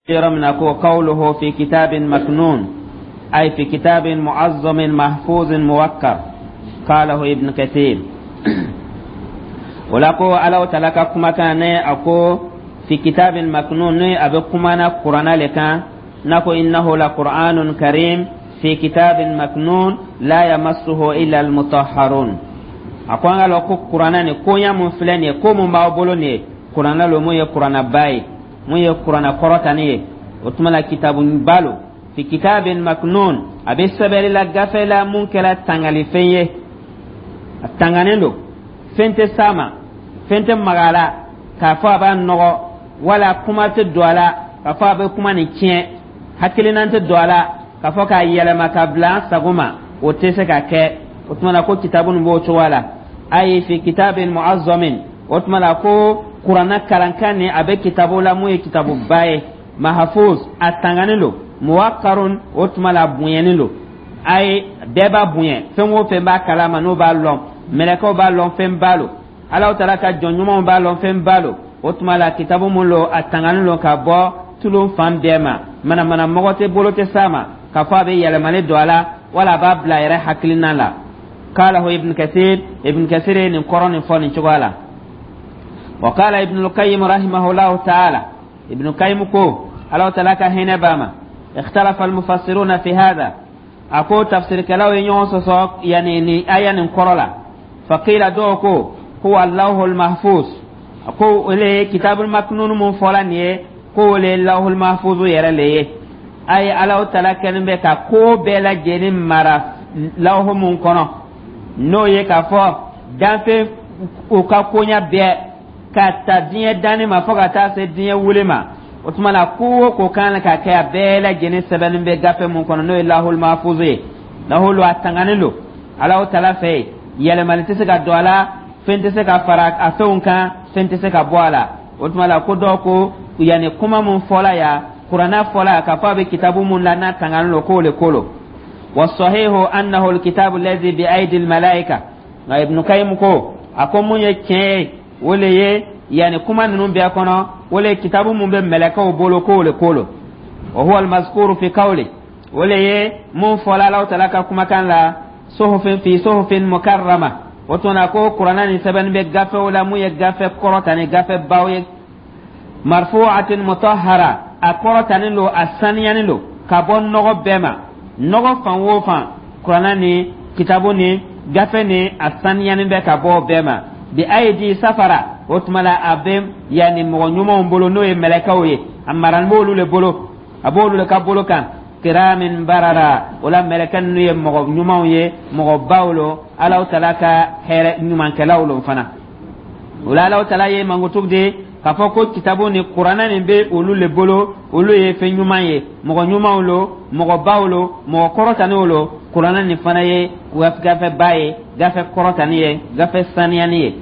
Yɔrɔ min na ko qawluhu fi kitabin maknun, ay fi kitabin mu'azzamin mahfuzin muwakkar, qalahu Ibn Kathir. O la ko Alahu Taala ka kumakan ne a ko fi kitabin maknun, ne a bɛ kumana Kurana le kan n'a ko innahu la qur'anun karim fi kitabin maknun la yamassuhu illa almutahharun. A ko an ka lɔn ko Kurana nin koɲa mun filɛ nin ye, ko mun b'aw bolo nin ye, Kurana lo mun ye Kuranaba ye, mun ye Kurana kɔrɔtani ye. O tuma la kitabu ba lo, fi kitabin maknun, a bɛ sɛbɛnni la gafe la mun kɛra tangalifɛn ye, a tanganen don, fɛn tɛ s'a ma, fɛn tɛ maga a la k'a fɔ a b'a nɔgɔ, wala kuma tɛ don a la k'a fɔ a bɛ kuma nin tiɲɛ, hakilina tɛ don a la k'a fɔ k'a yɛlɛma ka bila an sago ma, o tɛ se ka kɛ. O tuma la ko kitabu nin b'o cogoya la, ayi fi kitabin mu'azzamin. O tuma la ko Kuranna kalankan nin a bɛ kitabu la mun ye kitabuba ye, mahfuz, a tanganen don, muwakkarun, o tuma la a bonyanen don, ayi bɛɛ b'a bonya, fɛn o fɛn b'a kalama n'o b'a lɔn, mɛlɛkɛw b'a lɔn, fɛn ba lo, Alahu Taala ka jɔn ɲumanw b'a lɔn, fɛn ba lo. O tuma la kitabu mun lo, a tanganen don ka bɔ tulon fan bɛɛ ma, manamana mɔgɔ tɛ bolo tɛ s'a ma k'a fɔ a bɛ yɛlɛmali don a la wala a b'a bila a yɛrɛ hakilina la. Qalahu Ibn Kathir, Ibn Kathir ye nin kɔrɔ nin fɔ nin cogoya la. Wa qala Ibn al-Qayyim rahimahullahu ta'ala, Ibn Qayyim ko, Alahu Taala ka hinɛ b'a ma, ikhtalafa al-mufassiruna fi hadha, a ko tafsirikɛlaw ye ɲɔgɔn sɔsɔ yani ni aya nin kɔrɔ la. Faqila, dɔw ko huwa lawhul mahfuz, a ko o le ye kitabul maknun mun fɔla nin ye, ko o le ye lawhul mahfuz yɛrɛ le ye. A ye Alahu Taala kɛlen bɛ ka ko bɛɛ lajɛlen mara lawhu mun kɔnɔ, n'o ye k'a fɔ danfɛn u ka koɲa bɛɛ ka ta diɲɛ danni ma fo ka taa se diɲɛ wuli ma. O tuma la ko o ko kan ka kɛ, a bɛɛ lajɛlen sɛbɛnni bɛ gafe mun kɔnɔ, n'o ye lahul mahfuz ye. Lahulu a tanganen don Alahu Taala fɛ yen, yɛlɛmali tɛ se ka don a la, fɛn tɛ se ka fara a fɛnw kan, fɛn tɛ se ka bɔ a la. O tuma la ko dɔw ko yanni kuma mun fɔla yan, Kuranna fɔla yan k'a fɔ a bɛ kitabu mun la n'a tanganen don, k'o le ko lo. Wasahihu annahu alkitabu allazi bi aidi almalaika. Nka Ibnu Kayim ko, a ko mun ye tiɲɛ ye, o le ye yanni kuma ninnu bɛɛ kɔnɔ, o le ye kitabu mun bɛ mɛlɛkɛw bolo, k'o le ko lo. Wa huwa almazkuru fi qawli, o le ye mun fɔla Alahu Taala ka kumakan la, suhufin fi suhufin mukarrama. O tuma na ko Kuranna nin sɛbɛnni bɛ gafew la mun ye gafe kɔrɔta ni gafe baw ye, marfu'atin mutahhara, a kɔrɔtanen don, a saniyanen don ka bɔ nɔgɔ bɛɛ ma, nɔgɔ fan o fan, Kuranna ni kitabu ni gafe ni a saniyanen bɛ ka bɔ bɛɛ ma. Bi ayidi safara, o tuma la a bɛ yanni mɔgɔ ɲumanw bolo, n'o ye mɛlɛkɛw ye, a marani b'olu le bolo, a b'olu le ka bolo kan, kiramin barara. O la mɛlɛkɛ ninnu ye mɔgɔ ɲumanw ye, mɔgɔbaw lo, Alahu Taala ka hɛrɛ ɲumankɛlaw lo fana. O la Alahu Taala ye mankutu di k'a fɔ ko kitabu ni Kuranɛ nin bɛ olu le bolo, olu ye fɛn ɲuman ye, mɔgɔ ɲumanw lo, mɔgɔbaw lo, mɔgɔ kɔrɔtaniw lo. Kuranɛ nin fana ye gafeba ye, gafe kɔrɔtani ye, gafe saniyani ye.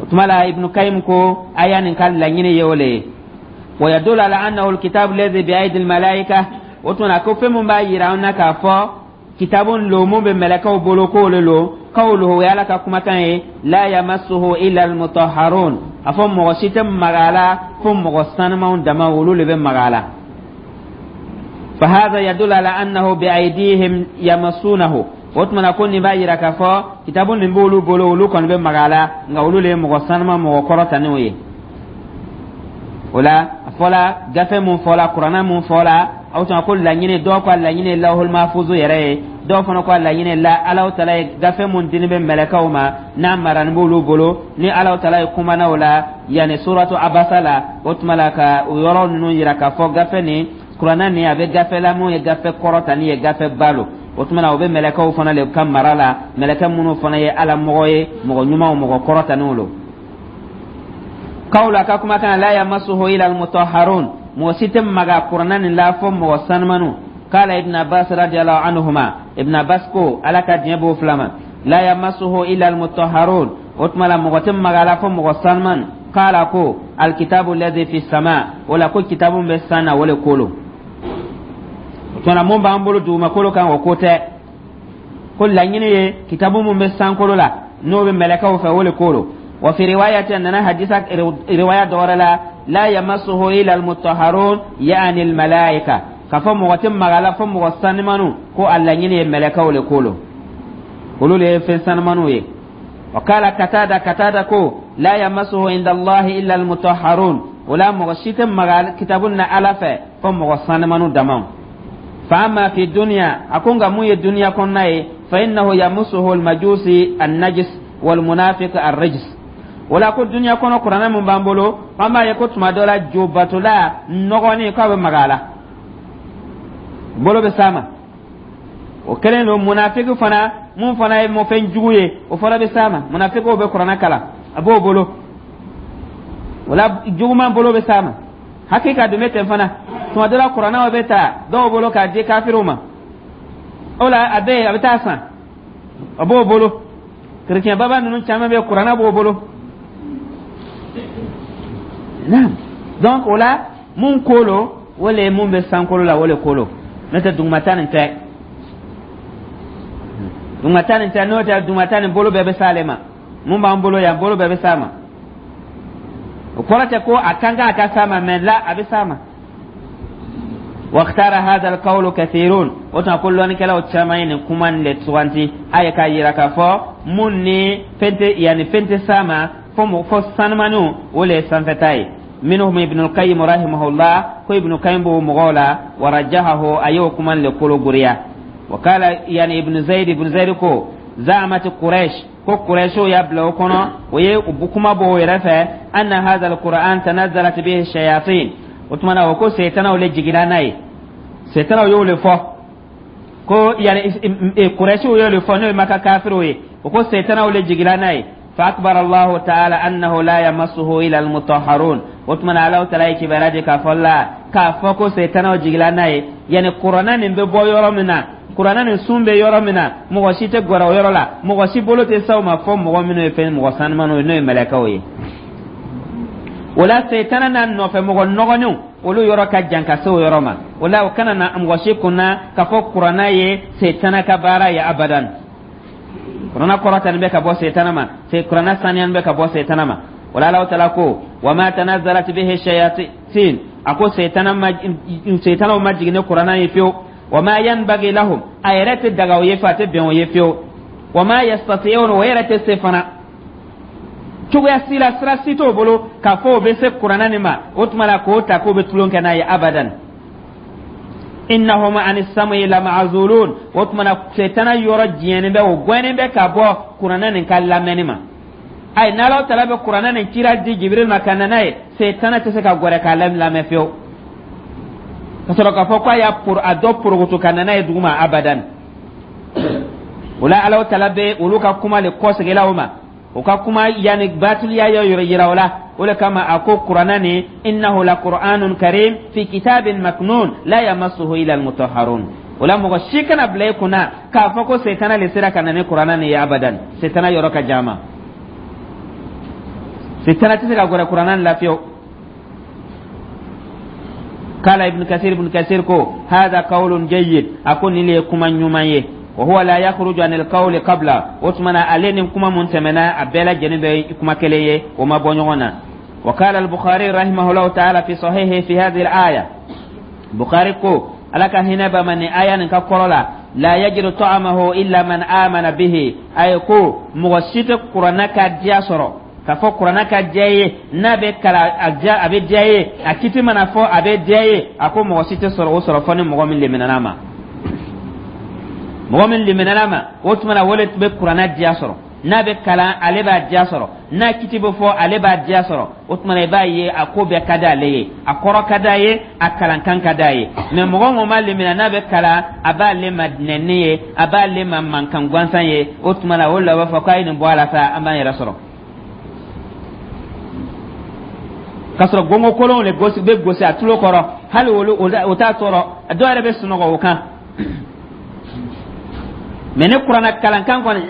O tuma la Ibnu Kayim ko aya nin ka laɲini ye o le ye. Wa yadullu ala annahu alkitabu alladhi bi aidi almalaika. O tuma na ko fɛn mun b'a yira an na k'a fɔ kitabu lo mun bɛ mɛlɛkɛw bolo, k'o le lo, qawluhu, o ye Ala ka kumakan ye, la yamassuhu illa almutahharun, a fɔ mɔgɔ si tɛ maga a la fo mɔgɔ sanumanw dama, olu le bɛ maga a la. Fahadha yadullu ala annahu bi aydihim yamassunahu. O tuma na ko nin b'a yira k'a fɔ kitabu nin b'olu bolo, olu kɔni bɛ maga a la, nka olu le ye mɔgɔ sanuman, mɔgɔ kɔrɔtanenw ye. O la a fɔla gafe mun fɔla, Kuranna mun fɔla, aw tuma ko laɲini, dɔw ka laɲini ye lawhul mahfuzu yɛrɛ ye, dɔw fana ka laɲini la Alahu Taala ye gafe mun dini bɛ mɛlɛkɛw ma n'a marani b'olu bolo, ni Alahu Taala ye kumana o la yanni suratu Abasa la. O tuma la ka o yɔrɔ ninnu yira k'a fɔ gafe nin, Kuranna nin, a bɛ gafe la mun ye gafe kɔrɔtani ye, gafe ba lo. O tuma na o bɛ mɛlɛkɛw fana le ka mara la, mɛlɛkɛ minnu fana ye Ala mɔgɔ ye, mɔgɔ ɲumanw, mɔgɔ kɔrɔtaniw lo. Kawla ka kumakan la yamassuhu ila almutahharun, mɔgɔ si tɛ maga Kuranna nin la fo mɔgɔ sanumanu. Kala Ibn Abbas radiyallahu anhuma, Ibn Abbas ko, Ala ka diɲɛ b'o fila ma, la yamassuhu illa almutahharun, o tuma la mɔgɔ tɛ maga la fo mɔgɔ sanuman. Kala ko alkitabu alladhi fi sama, o la ko kitabu bɛ san na, o le ko lo. O tuma na mun b'an bolo dugumakolo kan, o ko tɛ, ko laɲini ye kitabu mun bɛ sankolo la, n'o bɛ mɛlɛkɛw fɛ, o le ko lo. Wa fi riwayati, nana hadisa riwaya dɔ wɛrɛ la, la yamassuhu illa almutahharun, yani almalaika, k'a fɔ mɔgɔ tɛ maga la fo mɔgɔ sanimanu. Ko a laɲini ye mɛlɛkɛw le ko lo, olu le ye fɛn sanimaniw ye. Wa kala Katada, Katada ko la yamassuhu inda Allahi illa almutahharun. O la mɔgɔ si tɛ maga kitabu na Ala fɛ fo mɔgɔ sanimanu damaw. Fa amma fi dunya, a ko nka mun ye duniya kɔnɔna ye, fa innahu yamassuhu almajusi annajis walmunafiq arrijs. O la ko duniya kɔnɔ, kuranɛ mun b'an bolo, an b'a ye ko tuma dɔ la jobatola nɔgɔnin k'a bɛ maga a la, bolo bɛ s'a ma. O kɛlen don munafiki fana, mun fana ye mɔfɛn jugu ye, o fana bɛ s'a ma. Munafikiw bɛ kuranɛ kalan, a b'o bolo, o la juguman bolo bɛ s'a ma. Hakika dun bɛ ten fana, tuma dɔ la kuranɛw bɛ ta dɔw bolo k'a di kafiriw ma. O la a bɛ yen, a bɛ taa san, a b'o bolo. Kerecɛn baba ninnu caman bɛ, kuranɛ b'o bolo. Naam, donc o la mun ko lo, o le ye mun bɛ sankolo la, o le ko lo. N'o tɛ dugumata nin tɛ, dugumata nin tɛ. N'o tɛ, dugumata nin bolo bɛɛ bɛ s'ale ma. Mun b'an bolo yan, bolo bɛɛ bɛ s'a ma. O kɔrɔ tɛ ko a kan a ka s'a ma, mɛ la a bɛ s'a ma. واختار هذا القول كثيرون. O tuma ko lɔnnikɛlaw caman ye nin kuma nin de suganti. A ye k'a yira k'a fɔ mun ni fɛn tɛ, yanni fɛn tɛ s'a ma fo sanumaniw, o le ye sanfɛta ye. Minhum Ibn al-Qayyim rahimahullah, ko Ibn Qayyim b'o mɔgɔw la. Warajahahu, a y'o kuma le kolo goriya. Wa kala yani Ibn Zayd, Ibn Zayd ko za'amat Quraish, ko Quraishow y'a bila o kɔnɔ, o ye kuma bɔ o yɛrɛ fɛ, anna hadha al-Qur'an tanazzalat bihi shayatin. O tuma na o ko seytanaw le jiginna n'a ye. Seytanaw y'o le fɔ ko yani Quraishiw y'o le fɔ, n'o ye Maka kafiriw ye, o ko seytanaw le jiginna n'a ye. Fa akbar Allahu ta'ala annahu la yamassuhu ila almutahharun. O tuma na Allahu ta'ala ye kibaruya di k'a fɔ la k'a fɔ ko seytanaw jiginna n'a ye, yani kuranɛ nin bɛ bɔ yɔrɔ min na, kuranɛ nin sun bɛ yɔrɔ min na, mɔgɔ si tɛ gɛrɛ o yɔrɔ la, mɔgɔ si bolo tɛ s'aw ma fɔ mɔgɔ minnu ye fɛn mɔgɔ sanumaniw ye, n'o ye mɛlɛkɛw ye. O la seytana n'a nɔfɛ mɔgɔ nɔgɔninw, olu yɔrɔ ka jan ka se o yɔrɔ ma. O la o kana na mɔgɔ si kunna k'a fɔ kuranɛ ye seytana ka baara ye, abadan. Kuranɛ kɔrɔtani bɛ ka bɔ seytana ma, kuranɛ saniyani bɛ ka bɔ seytana ma. O la Alahu taala ko wa ma tanazzalat bihi shayatin, a ko seytana ma, seytanaw ma jigin ni kuranɛ ye fiyewu. Wa ma yanbaghi lahum, a yɛrɛ tɛ daga o ye fiyewu, a tɛ bɛn o ye fiyewu. Wa ma yastati'un, o yɛrɛ tɛ se fana cogoya si la, sira si t'o bolo k'a fɔ o bɛ se kuranɛ nin ma. O tuma la k'o ta k'o bɛ tulon kɛ n'a ye, abadan. Innahum ani sam'i lama'zulun. O tuma na setana yɔrɔ jɛnnen bɛ, o gɛnnen bɛ ka bɔ kuranɛ nin ka lamɛnni ma. Ayi, n'Ala taala bɛ kuranɛ nin cira di Jibiril ma ka na n'a ye, setana tɛ se ka gɛrɛ k'a lamɛn fiyewu ka sɔrɔ k'a fɔ k'a y'a a dɔ porokoto ka na n'a ye duguma, abadan. O la Ala taala bɛ olu ka kuma le kɔsegin o ma, o ka kuma yanni batiliya yɔrɔ yira o la. O le kama a ko kuranɛ nin innahu la qur'anun karim fi kitabin maknun la yamassuhu illa almutahharun. O la mɔgɔ si kana bila i kunna k'a fɔ ko setana le sera ka na ni kuranɛ nin ye, abadan. Setana yɔrɔ ka jan ma, setana tɛ se ka gɛrɛ kuranɛ nin la fiyewu. Kala Ibn Kasir, Ibn Kasir ko hada qawlun jayyid, a ko nin le ye kuma ɲuman ye. Wa huwa la yakhruju anil qawli qabla. O tuma na ale ni kuma mun tɛmɛna, a bɛɛ lajɛlen bɛ kuma kelen ye, o ma bɔ ɲɔgɔn na. Wa qala al-Bukhari rahimahullahu ta'ala fi sahihi fi hadhihi al-aya, Bukhari ko Ala ka hinɛ ba ma nin aya nin ka kɔrɔ la, la yajidu ta'amahu illa man amana bihi. A ye ko mɔgɔ si tɛ kuranɛ ka diya sɔrɔ, k'a fɔ kuranɛ ka diya ye, n'a bɛ kalan a diya, a bɛ diya ye, a kiti mana fɔ a bɛ diya ye. A ko mɔgɔ si tɛ sɔrɔ o sɔrɔ fɔ ni mɔgɔ min leminana ma. Mɔgɔ min liminɛna ma, o tuma na o le bɛ kuranɛ diya sɔrɔ. N'a bɛ kalan, ale b'a diya sɔrɔ. N'a kiti bɛ fɔ, ale b'a diya sɔrɔ. O tuma na i b'a ye a ko bɛɛ ka d'ale ye, a kɔrɔ ka d'a ye, a kalankan ka d'a ye. Mɛ mɔgɔ mun ma limina, n'a bɛ kalan a b'ale ma nɛni ye, a b'ale ma mankan gansan ye. O tuma na o la b'a fɔ k'a ye nin bɔ a la sa, an b'an yɛrɛ sɔrɔ k'a sɔrɔ gongo kolonw de gosi bɛ gosi a tulo kɔrɔ. Hali olu o t'a tɔɔrɔ, dɔw yɛrɛ bɛ sunɔgɔ o kan. Mɛ ni kuranɛ kalankan kɔni,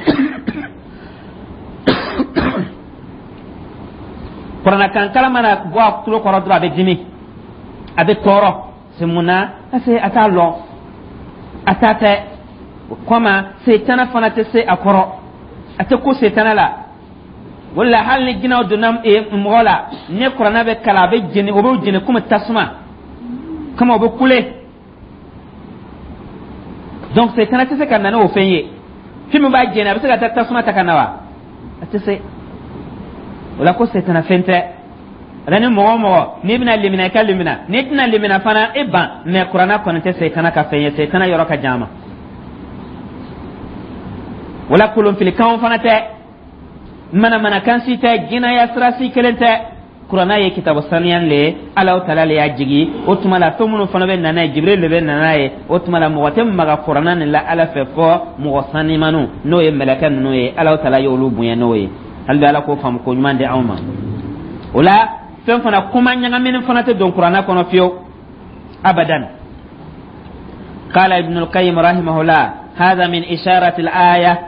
kuranɛ kan kalan mana bɔ a tulo kɔrɔ dɔrɔn, a bɛ dimi, a bɛ tɔɔrɔ. C'est mun na? Parce que a t'a lɔn, a t'a tɛ o kɔma. Setana fana tɛ se a kɔrɔ, a tɛ ko setana la. Wala hali ni jinɛw donna mɔgɔ la, ni kuranɛ bɛ kalan, a bɛ jeni, o bɛ jeni komi tasuma, komi o bɛ kule. Donc setana tɛ se ka na n'o fɛn ye. Fɛn min b'a jeni, a bɛ se ka taa tasuma ta ka na wa? A tɛ se o la. Ko setana fɛn tɛ. Ala ni mɔgɔ o mɔgɔ n'i bɛna limina, i ka limina. N'i tɛna limina fana, e ban. Mais kuranɛ kɔni tɛ setana ka fɛn ye, setana yɔrɔ ka jan a ma. Wala kolonfilikanw fana tɛ, manamanakan si tɛ, jinaya sira si kelen tɛ. Kuranɛ ye kitabu saniya le ye, Alahu Taala le y'a jigi. O tuma la, fɛn minnu fana bɛ na n'a ye, Jibril le bɛ na n'a ye. O tuma la, mɔgɔ tɛ maga kuranɛ nin la Ala fɛ fɔ mɔgɔ sanimaniw, n'o ye mɛlɛkɛ ninnu ye. Alahu Taala y'olu bonya n'o ye. Hali bi, Ala k'o faamu ko ɲuman di anw ma. O la, fɛn fana, kuma ɲagamini fana tɛ don kuranɛ kɔnɔ fiyewu, abadan. قال ابن القيم رحمه الله: هذا من إشارة الآية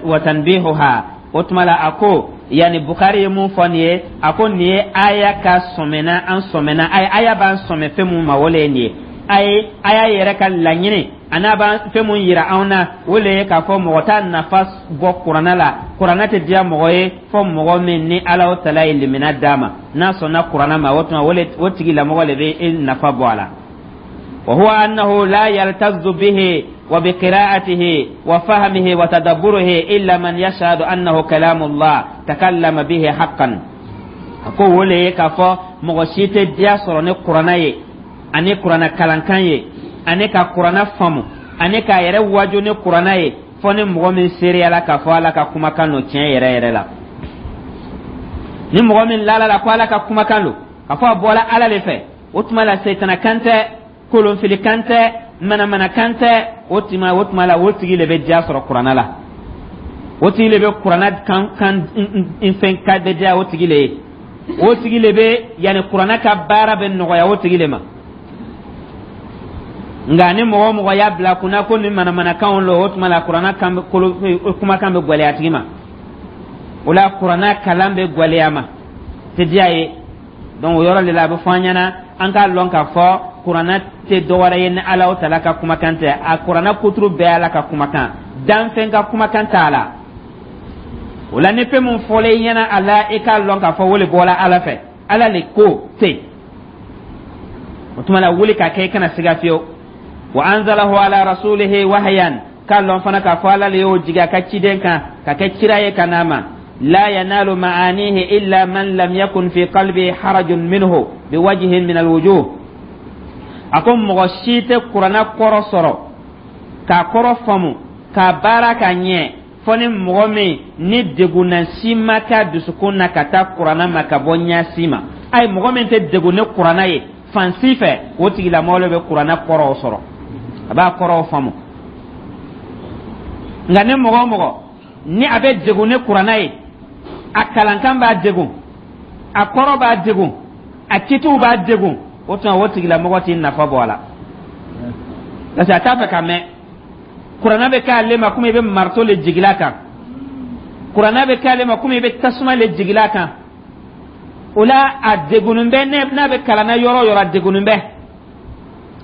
وتنبيهها. O tuma la, a ko, yani Bukari ye mun fɔ nin ye? A ko nin ye aya ka sɔmɛna, an sɔmɛna, aya b'an sɔmɛ fɛn mun ma, o le ye nin ye. A ye aya yɛrɛ ka laɲini a n'a b'an fɛn mun yira anw na, o le ye k'a fɔ mɔgɔ t'a nafa bɔ kuranɛ la, kuranɛ tɛ diya mɔgɔ ye fɔ mɔgɔ min ni Ala Taala ye limina d'a ma, n'a sɔnna kuranɛ ma. O tuma, o tigilamɔgɔ le bɛ e nafa bɔ a la. وهو أنه لا يلتذ به وبقراءته وفهمه وتدبره إلا من يشهد أنه كلام الله تكلم به حقا. Ko wo le ye k'a fɔ mɔgɔ si tɛ diya sɔrɔ ni kuranɛ ye, ani kuranɛ kalankan ye, ani ka kuranɛ faamu, ani k'a yɛrɛ waju ni kuranɛ ye, fɔ ni mɔgɔ min seereyala k'a fɔ Ala ka kumakan don tiɲɛ yɛrɛ yɛrɛ la. Ni mɔgɔ min lala la ko Ala ka kumakan don, k'a fɔ a bɔra Ala de fɛ, o tuma la, setana kan tɛ, kolonfili kan tɛ, manamana kan tɛ. O tuma la, o tigi le bɛ diya sɔrɔ kuranɛ la, o tigi le bɛ kuranɛ kan kan fɛn ka bɛ diya o tigi le ye, o tigi le bɛ, yanni kuranɛ ka baara bɛ nɔgɔya o tigi le ma. Nka ni mɔgɔ o mɔgɔ y'a bila kunna ko ni manamanakanw lo, o tuma la, kuranɛ kan bɛ kolo, kumakan bɛ gwɛlɛya tigi ma. O la, kuranɛ kalan bɛ gwɛlɛya ma, tɛ diya ye. Donc o yɔrɔ de la, a bɛ fɔ an ɲɛna an k'a lɔn k'a fɔ kuranɛ tɛ dɔwɛrɛ ye ni Ala Taala ka kumakan tɛ. A kuranɛ kuturu bɛɛ Ala ka kumakan, danfɛn ka kumakan t'a la. O la, ni fɛn mun fɔla i ɲɛna a la, i k'a lɔn k'a fɔ o le bɔra Ala fɛ, Ala le ko ten. O tuma la, wuli ka kɛ, i kana siga fiyewu. Wa anzalahu ala rasulihi wahyan, k'a lɔn fana k'a fɔ Ala le y'o jigin a ka ciden kan ka kɛ kira ye ka n'a ma. La yanalu ma'anihi illa man lam yakun fi qalbihi harajun minhu biwajhin min alwujuh. A ko mɔgɔ si tɛ kuranɛ kɔrɔ sɔrɔ, k'a kɔrɔ faamu, k'a baara ka ɲɛ, fɔ ni mɔgɔ min ni degunna si ma k'a dusukun na ka taa kuranɛ ma ka bɔ ɲɛsi ma. Ayi, mɔgɔ min tɛ degun ni kuranɛ ye fan si fɛ, o tigilamɔgɔ le bɛ kuranɛ kɔrɔw sɔrɔ, a b'a kɔrɔw faamu. Nka ni mɔgɔ o mɔgɔ ni a bɛ degun ni kuranɛ ye, a kalankan b'a degun, a kɔrɔ b'a degun, a kitiw b'a degun, o tuma, o tigilamɔgɔ t'i nafa bɔ a la, parce que a t'a fɛ ka mɛn. Kuranɛ bɛ k'ale ma komi i bɛ marito le jigila kan, kuranɛ bɛ k'ale ma komi i bɛ tasuma le jigila kan. O la, a degunnen bɛ. N'a bɛ kalan na yɔrɔ o yɔrɔ, a degunnen bɛ,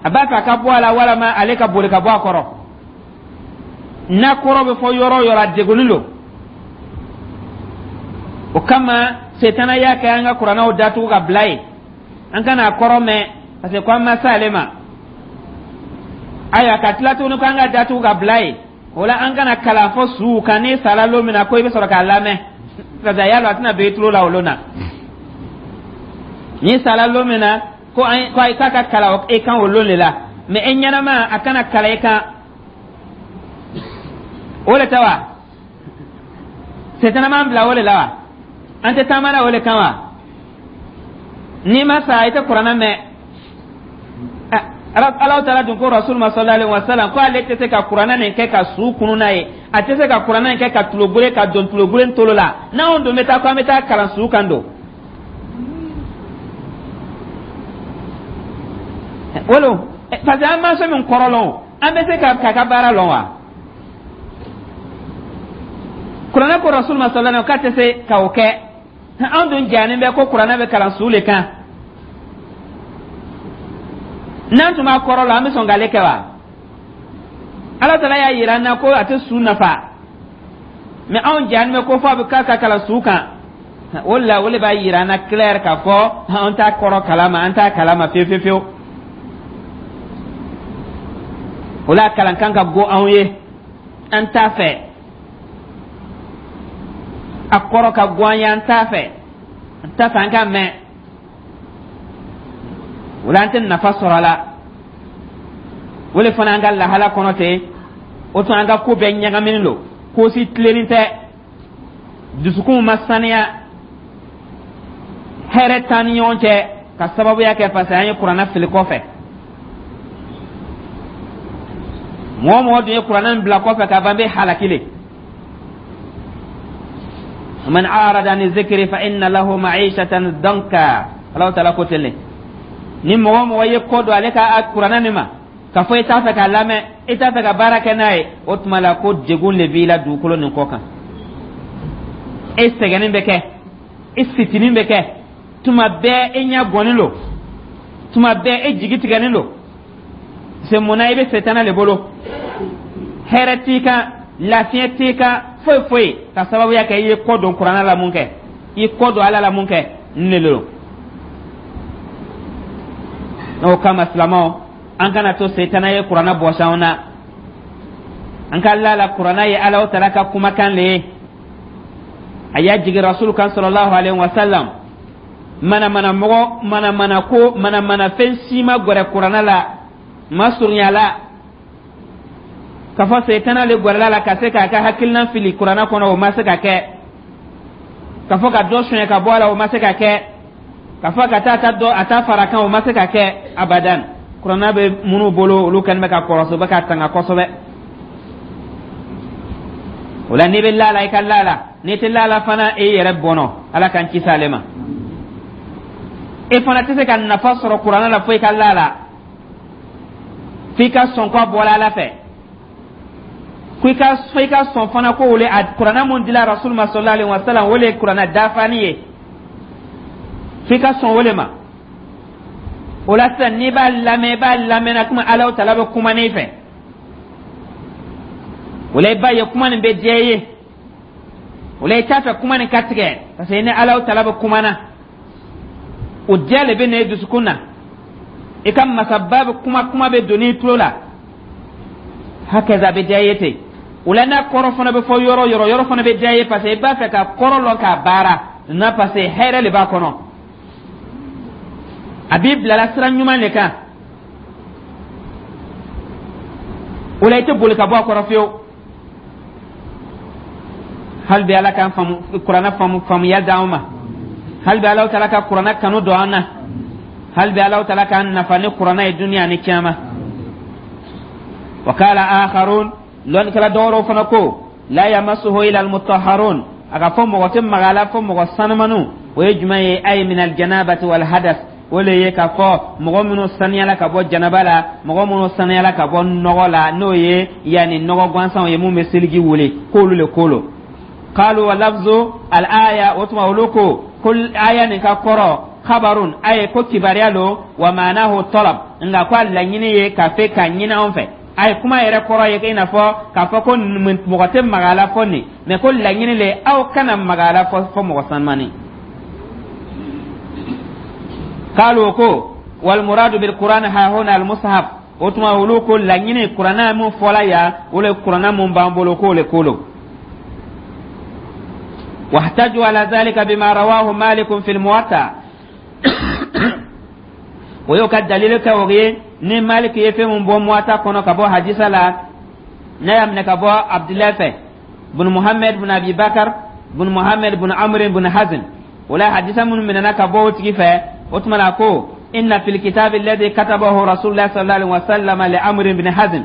a b'a fɛ a ka bɔ a la walama ale ka boli ka bɔ a kɔrɔ. N'a kɔrɔ bɛ fɔ yɔrɔ o yɔrɔ, a degunnen don. O kama, setana y'a kɛ an ka kuranɛw datugu ka bila yen, an kana a kɔrɔ mɛn, parce que ko an ma s'ale ma. Ayiwa, ka tila tuguni ko an ka datugu ka bila yen, o la, an kana kalan fɔ suw kan. N'i sara lon min na, ko i bɛ sɔrɔ k'a lamɛn, parce que a y'a dɔn a tɛna don i tulo la o lon na. N'i sara lon min na, ko an ko k'a ka kalan e kan o lon de la, mais e ɲɛnama, a kana kalan e kan. O de tɛ wa? Setana m'an bila o de la wa? An tɛ taama na o de kan wa? N'i ma sa, i tɛ kuranɛ mɛn. Ala Taala dun ko Rasul ma sallallahu alaihi wasallam ko ale tɛ se ka kuranɛ nin kɛ ka su kunu n'a ye, a tɛ se ka kuranɛ nin kɛ ka tulogure ka don tulogure tolo la. N'anw dun bɛ taa ko an bɛ taa kalan su kan don wolo, parce que an ma fɛn min kɔrɔ lɔn, an bɛ se ka k'a ka baara lɔn wa? Kuranɛ ko Rasul ma sallallahu alaihi k'a tɛ se ka o kɛ. Anw dun jannen bɛ ko kuranɛ bɛ kalan su le kan. N'an tun b'a kɔrɔ la, an bɛ sɔn k'ale kɛ wa? Ala Taala y'a yira an na ko a tɛ su nafa, mais anw jannen bɛ ko fɔ a bɛ k'a ka kalan su kan. O la, o le b'a yira an na clair k'a fɔ an t'a kɔrɔ kalama, an t'a kalama fiyewu fiyewu fiyewu. O la, kalan kan ka go anw ye, an t'a fɛ. A kɔrɔ ka go an ye, an t'a fɛ, an t'a fɛ an k'a mɛn. O la, an tɛ nafa sɔrɔ a la. O le fana, an ka lahala kɔnɔ ten, o tuma an ka ko bɛɛ ɲagaminen don, ko si tilennin tɛ, dusukunw ma saniya, hɛrɛ t'an ni ɲɔgɔn cɛ, ka sababuya kɛ parce que an ye Kuranɛ fili kɔfɛ. Mɔgɔ mɔgɔ dun ye Kuranɛ in bila kɔfɛ ka ban, bɛ halaki le. Man arada an zikri fa inna lahu ma'ishatan danka. Alahu Taala ko ten le. Ni mɔgɔ mɔgɔ ye kɔ don ale ka Kuranɛ nin ma, k'a fɔ i t'a fɛ k'a lamɛn, i t'a fɛ ka baara kɛ n'a ye, o tuma la ko degun le b'i la dugukolo nin kɔ kan. E sɛgɛnnen bɛ kɛ, e fitinin bɛ kɛ tuma bɛɛ, e ɲɛ gɔnnen don tuma bɛɛ, e jigi tigɛlen don. Se mun na? I bɛ setana le bolo, hɛrɛ t'i kan, lafiɲɛ t'i kan, foyi foyi, ka sababuya kɛ i ye kɔ don Kuranɛ la mun kɛ, i kɔ don Ala la mun kɛ, nin de don. N'o kama, silamɛw, an kana to setana ye Kuranɛ bɔsi anw na. An ka la la, Kuranɛ ye Ala Taala ka kumakan le ye, a y'a jigin Rasul kan sallallahu alaihi wa sallam. Manamana mɔgɔ, manamana ko, manamana fɛn si ma gɛrɛ Kuranɛ la, ma surunya la, k'a fɔ setana le gɛrɛla la ka se k'a ka hakilina fili Kuranɛ kɔnɔ, o ma se ka kɛ. K'a fɔ ka dɔ suɲɛ ka bɔ a la, o ma se ka kɛ. K'a fɔ ka taa ta dɔ a ta fara kan, o ma se ka kɛ abadan. Kuranɛ bɛ minnu bolo, olu kɛlen bɛ ka kɔrɔsi, u bɛ ka tanga kosɛbɛ. O la, n'i bɛ la la, i ka la la. N'i tɛ la la fana, e yɛrɛ bɔnɔ. Ala k'an kisi ale ma. E fana tɛ se ka nafa sɔrɔ Kuranɛ la fo i ka la la, f'i ka sɔn ko a bɔra Ala fɛ, ko i ka fo i ka sɔn fana ko o le a Kuranɛ mun dila Rasul ma sallallahu alaihi wa sallam, o le ye Kuranɛ dafani ye, f'i ka sɔn o le ma. O la sisan, n'i b'a lamɛn, i b'a lamɛn na komi Ala Taala bɛ kuma n'i fɛ. O la, i b'a ye kuma nin bɛ diya i ye. O la, i t'a fɛ kuma nin ka tigɛ, parce que ni Ala Taala bɛ kuma na, o diya le bɛ na i dusukun na. I ka masaba bɛ kuma, kuma bɛ don i tulo la, hakaza, a bɛ diya i ye ten. O la, n'a kɔrɔ fana bɛ fɔ yɔrɔ yɔrɔ, yɔrɔ fana bɛ diya i ye, parce que i b'a fɛ ka kɔrɔ lɔn k'a baara na, parce que hɛrɛ de b'a kɔnɔ, a b'i bilala sira ɲuman de kan. O la, i tɛ boli ka bɔ a kɔrɔ fiyewu. Hali bi, Ala k'an faamu Kuranɛ faamu faamuya d'an ma. Hali bi, Ala Taala ka Kuranɛ kanu don an na. Hali bi, Ala Taala k'an nafa ni Kuranɛ ye duniya ni kiyama. Wa qala akharun, lɔnnikɛla dɔwɛrɛw fana ko la yamassuhu illa almutahharun, a ka fɔ mɔgɔ tɛ maga a la fo mɔgɔ sanumaniw. O ye jumɛn ye? Ay min aljanabati wal hadas. O le ye k'a fɔ mɔgɔ minnu saniyala ka bɔ janaba la, mɔgɔ minnu saniyala ka bɔ nɔgɔ la, n'o ye yanni nɔgɔ gansanw ye mun bɛ seliji wele, k'olu le ko lo. Qalu wa lafzu al aya, o tuma olu ko aya nin ka kɔrɔ khabarun, aye ko kibaruya lo, wa ma'anahu talab, nka ko a laɲini ye ka fɛ k'a ɲini anw fɛ. A ye kuma yɛrɛ kɔrɔ ye i n'a fɔ k'a fɔ ko mɔgɔ tɛ maga a la fɔ nin, mɛ ko laɲini le, aw kana maga a la fɔ mɔgɔ sanumani. Qalu ko wal muradu bil Qur'an ha huna al mushaf. O tuma olu ko laɲini Kuranɛ mun fɔla yan, o le Kuranɛ mun b'an bolo, k'o le ko lo. Wahtaju ala zalika bima rawahu Malik fi al-Muwatta. O y'o ka dalilu kɛ o ye ni Malik ye fɛn mun bɔ Muwatta kɔnɔ ka bɔ hadisa la, n'a y'a minɛ ka bɔ Abdulayi fɛ bun Muhammed bun Abi Bakar bun Muhammed bun Amr bun Hazm. O la, hadisa minnu minɛna ka bɔ o tigi fɛ, o tuma na ko inna fil kitabi alladhi katabahu Rasulullah sallallahu alaihi wasallam li Amr bin Hazm,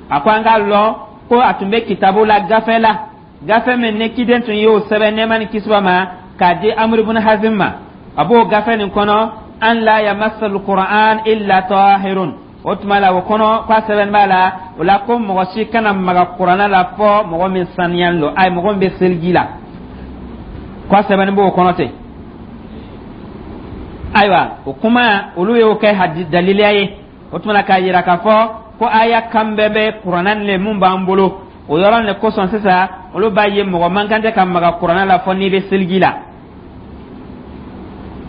a ko an k'a lɔn ko a tun bɛ kitabu la, gafe la, gafe min ni kiden tun y'o sɛbɛn, nɛɛma ni kisi b'a ma, k'a di Amr ibn Hazm ma, a b'o gafe nin kɔnɔ an la yamassa alquran illa tahirun. O tuma la, o kɔnɔ k'a sɛbɛn b'a la, o la ko mɔgɔ si kana maga Kuranɛ la fɔ mɔgɔ min saniyalen don, ayi, mɔgɔ min bɛ seliji la, k'a sɛbɛnni b'o kɔnɔ ten. Ayiwa, o kuma, olu y'o kɛ hadi daliliya ye. O tuma na, k'a yira k'a fɔ ko aya kan bɛɛ bɛ Kuranɛ le mun b'an bolo, o yɔrɔ le kosɔn sisan olu b'a ye mɔgɔ man kan tɛ ka maga Kuranɛ la fɔ n'i bɛ seliji la.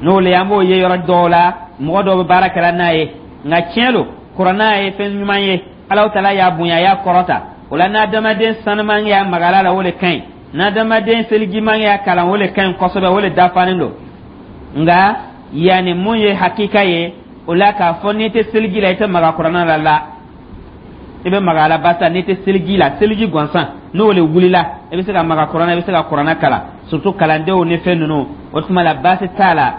N'o le an b'o ye yɔrɔ dɔw la, mɔgɔ dɔw bɛ baara kɛla n'a ye. Nka tiɲɛ lo, kuranna ye fɛn ɲuman ye, Alahu Taala y'a bonya, a y'a kɔrɔta. O la, n'adamaden sanuman y'a magala la, o le ka ɲi. N'adamaden selijiman y'a kalan, o le ka ɲi kosɛbɛ, o le dafalen don. Nka yanni mun ye hakika ye o la, k'a fɔ n'i tɛ seliji la, i tɛ maga kuranna la, la, i bɛ maga a la. Barisa n'i tɛ seliji la, seliji gansan, n'o le wulila, i bɛ se ka maga kuranna, i bɛ se ka kuranna kalan, surtout kalandenw ni fɛn ninnu. O tuma la, baasi t'a la.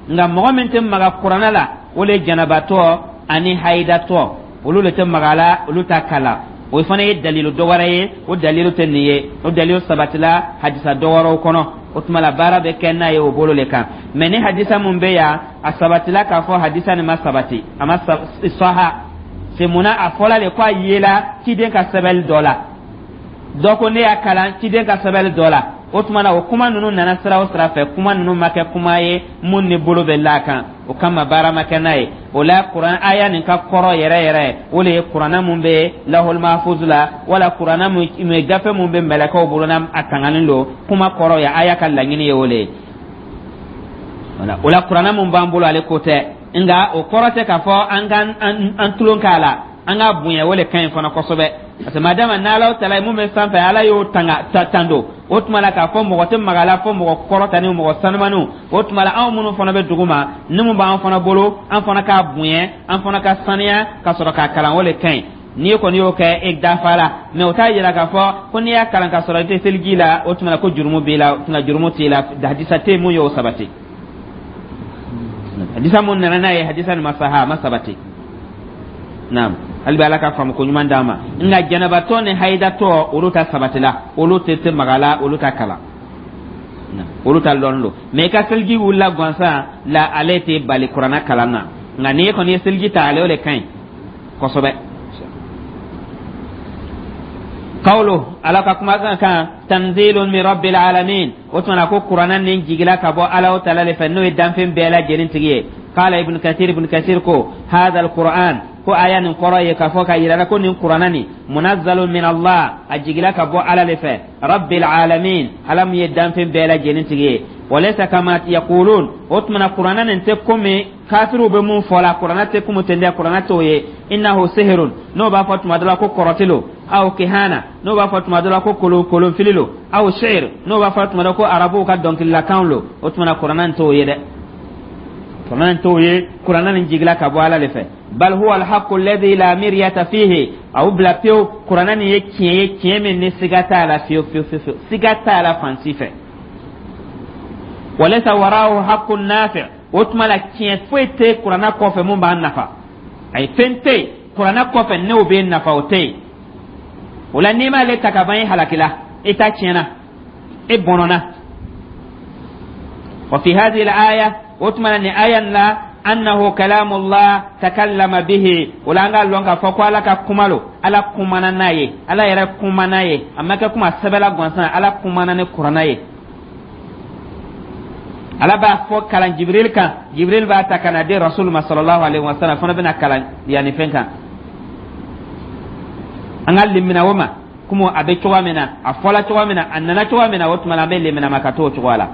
Nka mɔgɔ min tɛ maga kuranna la, o le ye janabatɔ ani hayidatɔ. Olu le tɛ maga a la, olu t'a kalan. O fana ye dalilu dɔ wɛrɛ ye. O dalilu tɛ nin ye, o dalilu sabatila hadisa dɔ wɛrɛw kɔnɔ. O tuma la, baara bɛ kɛ n'a ye o bolo le kan. Mɛ ni hadisa mun bɛ yan, a sabatila k'a fɔ hadisa nin ma sabati, a ma saha c'est. Munna a fɔla de ko a yela ciden ka sɛbɛnni dɔ la? Dɔ ko ne y'a kalan ciden ka sɛbɛnni dɔ la. O tuma na, o kuma ninnu nana sira o sira fɛ, kuma ninnu ma kɛ kuma ye mun ni bolo bɛ la kan. O kama, baara ma kɛ n'a ye. O la, kuran aya nin ka kɔrɔ yɛrɛ yɛrɛ, o le ye kuranna mun bɛ lahol mahfuz la, wala kuranna mun gafe mun bɛ mɛlɛkɛw bolo, n'a a tanganen don. Kuma kɔrɔ ye, aya ka laɲini ye o le ye. O la, kuranna mun b'an bolo, ale ko tɛ. Nka o kɔrɔ tɛ k'a fɔ an ka an tulon k'a la. An ka bonya, o le ka ɲi fana kosɛbɛ, parce que madama n'Ala tala mun bɛ sanfɛ, Ala y'o tanga tando. O tuma la, k'a fɔ mɔgɔ tɛ maga la fo mɔgɔ kɔrɔta ni mɔgɔ sanumaniw. O tuma la, anw minnu fana bɛ dugu ma, ni mun b'an fana bolo, an fana k'a bonya, an fana ka saniya ka sɔrɔ k'a kalan, o le ka ɲi. N'i kɔni y'o kɛ, e dafa la. Mɛ o t'a yira k'a fɔ ko n'i y'a kalan k'a sɔrɔ i tɛ seliji la, o tuma la ko jurumu b'i la. O tuma, jurumu t'i la. Hadisa tɛ mun y'o sabati. Hadisa mun nana n'a ye, hadisa nin ma saha, a ma sabati. Naam, hali bi Ala ka faamu ko ɲuman d'an ma. Nka janabatɔ ni hayidatɔ, olu ta sabatila, olu tɛ maga la, olu ta kalan, olu ta lɔn don. Mɛ i ka seliji wulila gansan la, ale tɛ bali kuranna kalan na. Nka n'i kɔni ye seliji ta, ale o de ka ɲi kosɛbɛ. Qawlu, Ala ka kumakan kan, tanzilun min rabbil alamin. O tuma na ko kuranna nin jigila ka bɔ Ala o Taala le fɛ, n'o ye danfɛn bɛɛ lajɛlen tigi ye. Qala Ibn Kathir, Ibn Kathir ko hadha alquran, ko aya nin kɔrɔ ye k'a fɔ ka yira la ko nin kuranna nin munazzalun min Allah, a jigila ka bɔ Ala le fɛ, rabbil alamin, Ala min ye danfɛn bɛɛ lajɛlen tigi ye. Walaysa kama yaqulun. O tuma na, kuranna nin tɛ komi kafiriw bɛ mun fɔ la. Kuranna tɛ komi ten dɛ, kuranna t'o ye. Innahu sihirun, n'o b'a fɔ tuma dɔ la ko kɔrɔti lo, aw kihana, n'o b'a fɔ tuma dɔ la ko kolon kolonfili lo, aw shi'r, n'o b'a fɔ tuma dɔ ko arabuw ka dɔnkililakanw lo. O tuma na, kuranna nin t'o ye dɛ, kuranna nin t'o ye. Kuranna nin jigila ka bɔ Ala de fɛ. Bal huwa alhaqqu alladhi la miryata fihi. Aw bila pewu, kuranna nin ye tiɲɛ ye, tiɲɛ min ni siga t'a la fiyewu fiyewu fiyewu, siga t'a la fan si fɛ. Walaysa waraahu haqqun nafi'. O tuma la, tiɲɛ foyi tɛ kuranna kɔfɛ mun b'an nafa. Ayi, fɛn tɛ yen kuranna kɔfɛ n'o bɛ nafa, o tɛ yen. O la, n'i m'ale ta ka ban, i halakila, i ta tiɲɛna, e bɔnɔna. Wa fi hadhihi al-aya, o tuma na, nin aya nin la, annahu kalamullah takallama bihi. O la, an k'a lɔn k'a fɔ ko Ala ka kuma lo, Ala kumana n'a ye, Ala yɛrɛ kuma n'a ye. A ma kɛ kuma sɛbɛla gansan, Ala kumana ni kuranna ye. Ala b'a fɔ kalan Jibril kan, Jibril b'a ta ka na di Rasul ma sallallahu alaihi wasallam, fana bɛna kalan yanni fɛn kan. An ka limina o ma komi a bɛ cogoya min na, a fɔla cogoya min na, a nana cogoya min na, o tuma na an bɛ limina ma ka t'o cogoya la.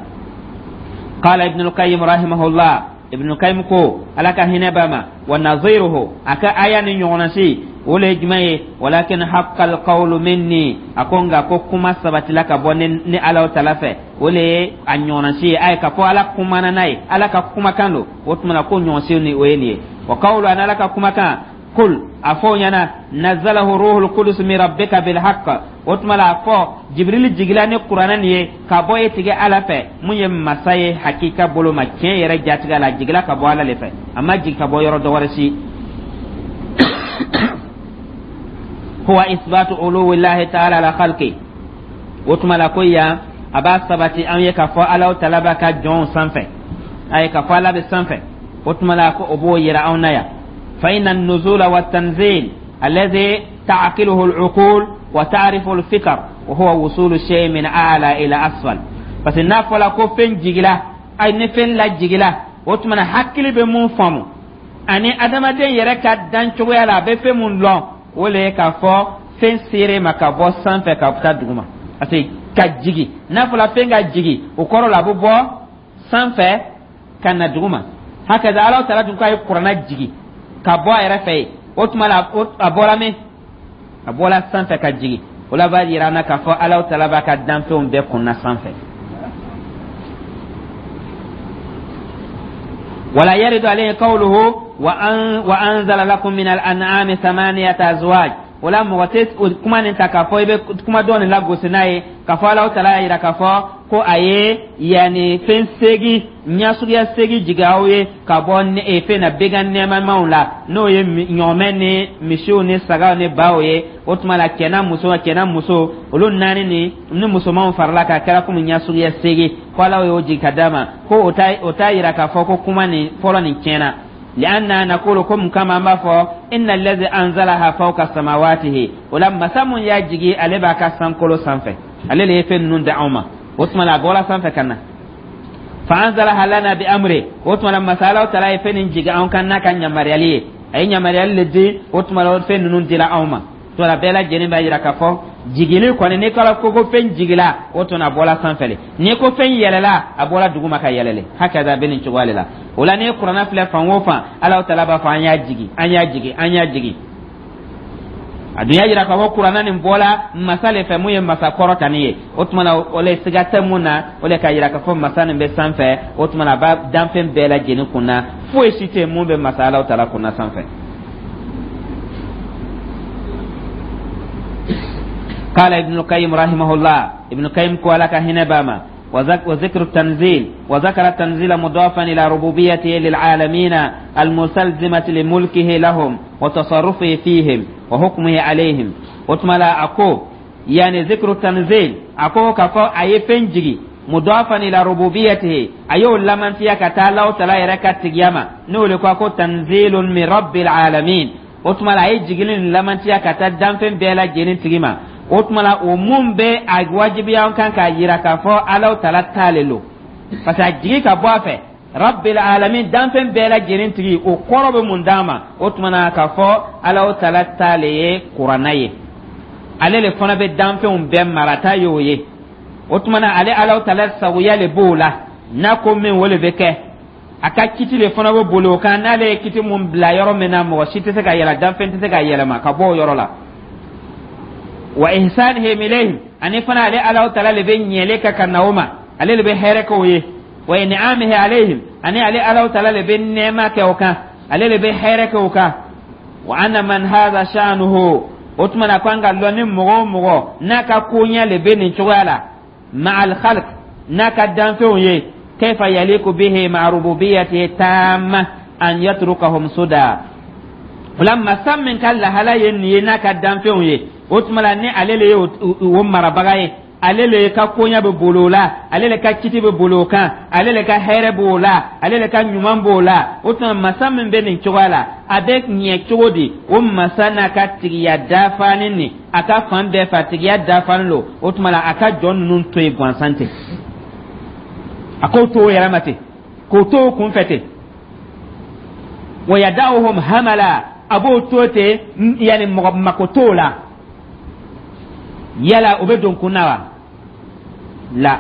Qala Ibn al-Qayyim rahimahullah, Ibn al-Qayyim ko, Ala ka hinɛ b'a ma, wa naziruhu, a ka aya ni ɲɔgɔnna si, o le ye jumɛn ye? Walakin haqqal qawlu minni. A ko nka ko kuma sabatila ka bɔ ni Ala tala fɛ. O le ye a ɲɔgɔnna si ye. A ye ka fɔ Ala kumana n'a ye, Ala ka kumakan don. O tuma na, ko ɲɔgɔn si ni o ye nin ye. Wa qawlu, ani Ala ka kumakan, kul, a fɔ o ɲɛna, nazalahu ruhul qudus min rabbika bil haqq. O tuma la, a fɔ Jibril jigila ni kuranɛ nin ye ka bɔ e tigi Ala fɛ, mun ye masa ye hakika bolo ma, tiɲɛ yɛrɛ jatigɛ la. A jigila ka bɔ Ala le fɛ, a ma jigin ka bɔ yɔrɔ dɔ wɛrɛ si. Huwa isbatu uluwillahi ta'ala ala khalqi. O tuma la, ko yan a b'a sabati an ye k'a fɔ Ala tala b'a ka jɔnw sanfɛ, a ye k'a fɔ Ala bɛ sanfɛ. O tuma la, ko o b'o yira anw na yan. Fa inna an-nuzula wa tanzil alladhi ta'qiluhu al-uqul wa ta'rifu al-fikr wa huwa wusulu shay min a'la ila asfal. Parce que n'a fɔla ko fɛn jigila, ay ni fɛn lajigila, o tuma na hakili bɛ mun faamu ani adamaden yɛrɛ ka dan cogoya la, a bɛ fɛn mun lɔn, o le ye k'a fɔ fɛn sere ma ka bɔ sanfɛ ka taa duguma. Parce que ka jigi, n'a fɔla fɛn ka jigi, o kɔrɔ la a bɛ bɔ sanfɛ. Ka na duguma. Hakaza Ala taala dun k'a ye kuranna jigi ka bɔ a yɛrɛ fɛ yen. O tuma la, a bɔra min? A bɔra sanfɛ ka jigi. O la b'a yira an na k'a fɔ Ala taala b'a ka danfɛnw bɛɛ kunna sanfɛ. Wala yaridu alayhi qawluhu wa an wa anzala lakum min al-an'ami thamaniyata azwaj. O la, mɔgɔ tɛ kuma nin ta k'a fɔ i bɛ kuma dɔ nin lagosi n'a ye, k'a fɔ Ala taala y'a yira k'a fɔ ko a ye yanni fɛn seegin, ɲɛsuguya seegin jigin aw ye ka bɔ fɛn na, began nɛɛmamaw la, n'o ye ɲɔgɔmɛ ni misiw ni sagaw ni baw ye. O tuma la, cɛ n'a muso, cɛ n'a muso, olu naani ni musomanw farala k'a kɛra komi ɲɛsuguya seegin, ko Ala y'o jigin ka d'a ma, ko o t'a yira k'a fɔ ko kuma nin fɔlɔ nin tiɲɛna. Lianna naqulu, ko mun kama an b'a fɔ inna allazi anzalaha fawqa samawatihi. O la, masa mun y'a jigi, ale b'a ka sankolo sanfɛ, ale le ye fɛn ninnu di anw ma. O tuma la, a bɔra sanfɛ ka na. Fa anzalaha lana bi amri. O tuma la, masa Ala taala ye fɛn nin jigi anw kan n'a ka ɲamariyali ye, a ye ɲamariyali le di. O tuma la, o fɛn ninnu dira anw ma. To la, bɛɛ lajɛlen b'a yira k'a fɔ jigili kɔni, n'i kɔrɔ ko fɛn jigila, o tuma a bɔra sanfɛ le. N'i ko fɛn yɛlɛla, a bɔra duguma ka yɛlɛle. Hakaza, bɛ nin cogoya de la. O la, n'i ye kuranna filɛ fan o fan, Ala taala b'a fɔ an y'a jigi, an y'a jigi, an y'a jigi. A dun y'a yira k'a fɔ kuranna nin bɔla masa le fɛ, mun ye masa kɔrɔtani ye. O tuma na, o le siga tɛ mun na, o le k'a yira k'a fɔ masa nin bɛ sanfɛ. O tuma na, a b'a danfɛn bɛɛ lajɛlen kunna, foyi si tɛ mun bɛ masa Ala taala kunna sanfɛ. قال ابن القيم رحمه الله، ابن القيم قال كهنا باما وذكر التنزيل، وذكر التنزيل مضافا إلى ربوبيته للعالمين المستلزمة لملكه لهم وتصرفه فيهم وحكمه عليهم. وتملا أكو يعني ذكر التنزيل، أكو كفو أي فنجي مضافا إلى ربوبيته، أيو لمن فيها كتالا وتلا يركا تجيما نقول أكو تنزيل من رب العالمين. O tuma la, a ye jigili nin lamantiya ka taa danfɛn bɛɛ lajɛlen tigi ma. O tuma la, o mun bɛ a wajibiya an kan k'a yira k'a fɔ Ala taala ta le lo, parce que a jigi ka bɔ a fɛ, rabbil alamin, danfɛn bɛɛ lajɛlen tigi. O kɔrɔ bɛ mun d'an ma? O tuma na, k'a fɔ Ala taala ta le ye kuranna ye, ale le fana bɛ danfɛnw bɛɛ marata y'o ye. O tuma na, ale Ala taala sagoya le b'o la, n'a ko min, o le bɛ kɛ. A ka kiti le fana bɛ boli o kan. N'ale ye kiti mun bila yɔrɔ min na, mɔgɔ si tɛ se ka yɛlɛ, danfɛn tɛ se ka yɛlɛma ka bɔ o yɔrɔ la. Wa ihsanihim ilayhim, ani fana ale Ala taala le bɛ ɲɛli kɛ ka na o ma, ale le bɛ hɛrɛ kɛ o ye. Wa in'amihi alayhim, ani ale Ala taala le bɛ nɛɛma kɛ o kan, ale le bɛ hɛrɛ kɛ o kan. Wa anna man hadha sha'nuhu, o tuma na, ko an ka lɔn ni mɔgɔ o mɔgɔ n'a ka koɲɛ le bɛ nin cogoya la, ma'al khalq, n'a ka danfɛnw ye, kayfa yaliku bihi ma'a rububiyyatihi tamma an yatrukahum suda. O la, masa min ka lahala ye nin ye n'a ka danfɛnw ye, o tuma la, ni ale le ye o marabaga ye, ale le ka koɲɛ bɛ boli o la, ale le ka kiti bɛ boli o kan, ale le ka hɛrɛ b'o la, ale le ka ɲuman b'o la, o tuma, masa min bɛ nin cogoya la, a bɛ ɲɛ cogo di o masa n'a ka tigiya dafani nin, a ka fan bɛɛ fɛ a tigiya dafani lo, o tuma la, a ka jɔn ninnu to yen gansan ten, a k'o to o yɛrɛ ma ten, k'o to o kunfɛ ten? Wa yada'uhum hamala, a b'o to ten, yanni mɔgɔ mako t'o la. Yala o bɛ don kun na wa? La.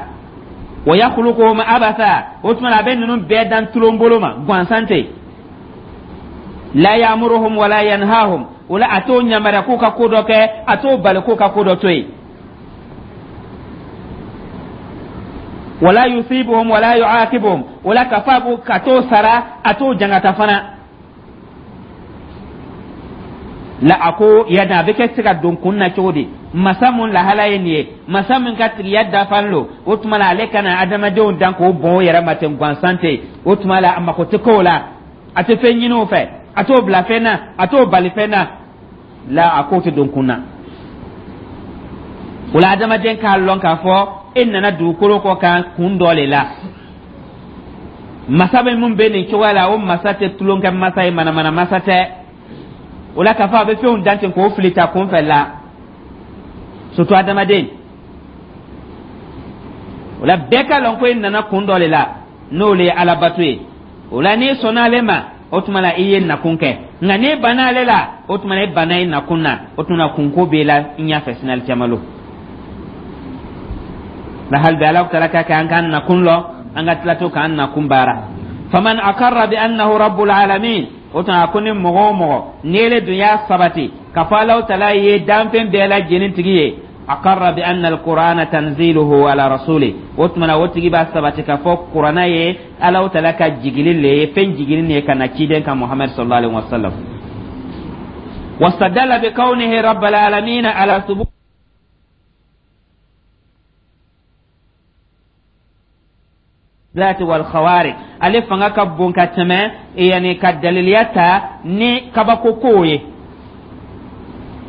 Wa yakhluquhum abatha, o tuma a bɛ ninnu bɛɛ dan tulon bolo ma gansan ten. La ya'muruhum wala yanhahum, o la a t'o yamaruya k'u ka ko dɔ kɛ, a t'o bali k'u ka ko dɔ to yen. Wala yusibuhum wala yu'aqibuhum, wala ka fa ka t'o sara, a t'o jangata fana la. A ko yada a bɛ kɛ se ka don kun na cogo di? Masa mun lahala ye nin ye, masa min ka tigiya dafalen lo, o tuma la, ale kana adamadenw dan k'o bɔn o yɛrɛ ma ten gansan ten. O tuma la, a mako tɛ k'o la, a tɛ fɛn ɲini o fɛ, a t'o bila fɛn na, a t'o bali fɛn na. La, a k'o tɛ don kun na. O la, adamaden k'a lɔn k'a fɔ e nana dugukolo kɔ kan kun dɔ le la. Masa bɛ mun bɛ nin cogoya la, o masa tɛ tulonkɛ masa ye, manamana masa tɛ. O la, k'a fɔ a bɛ fɛnw dan ten k'o fili ta kunfɛ la, surtout adamaden. O la, bɛɛ ka lɔn ko e nana kun dɔ le la, n'o le ye alabato ye. O la, n'i sɔnna ale ma, o tuma la, i ye nakun kɛ, nka n'i banna ale la, o tuma la, i banna i nakun na. O tuma na, kunko b'e la i ɲɛfɛ sini alikiyama lon la. Hali bi, Ala taala ka kɛ an k'an nakun lɔn, an ka tila to k'an nakun baara. Faman akarra bi annahu rabbul alamin, o tuma a ko ni mɔgɔ o mɔgɔ n'ele dun y'a sabati k'a fɔ Alahu Taala ye danfɛn bɛɛ lajɛlen tigi ye, akarra bi anna alqur'ana tanziluhu ala rasuli, o tuma na o tigi b'a sabati k'a fɔ kurana ye Alahu Taala ka jigili le ye, fɛn jiginin ye ka na ciden kan Muhammad sallallahu alaihi wasallam. Wastadalla bi kawnihi rabbal alamin ala thubut zati wal khawariq. Ale fanga ka bon ka tɛmɛ yani ka daliliya ta ni kabako kow ye,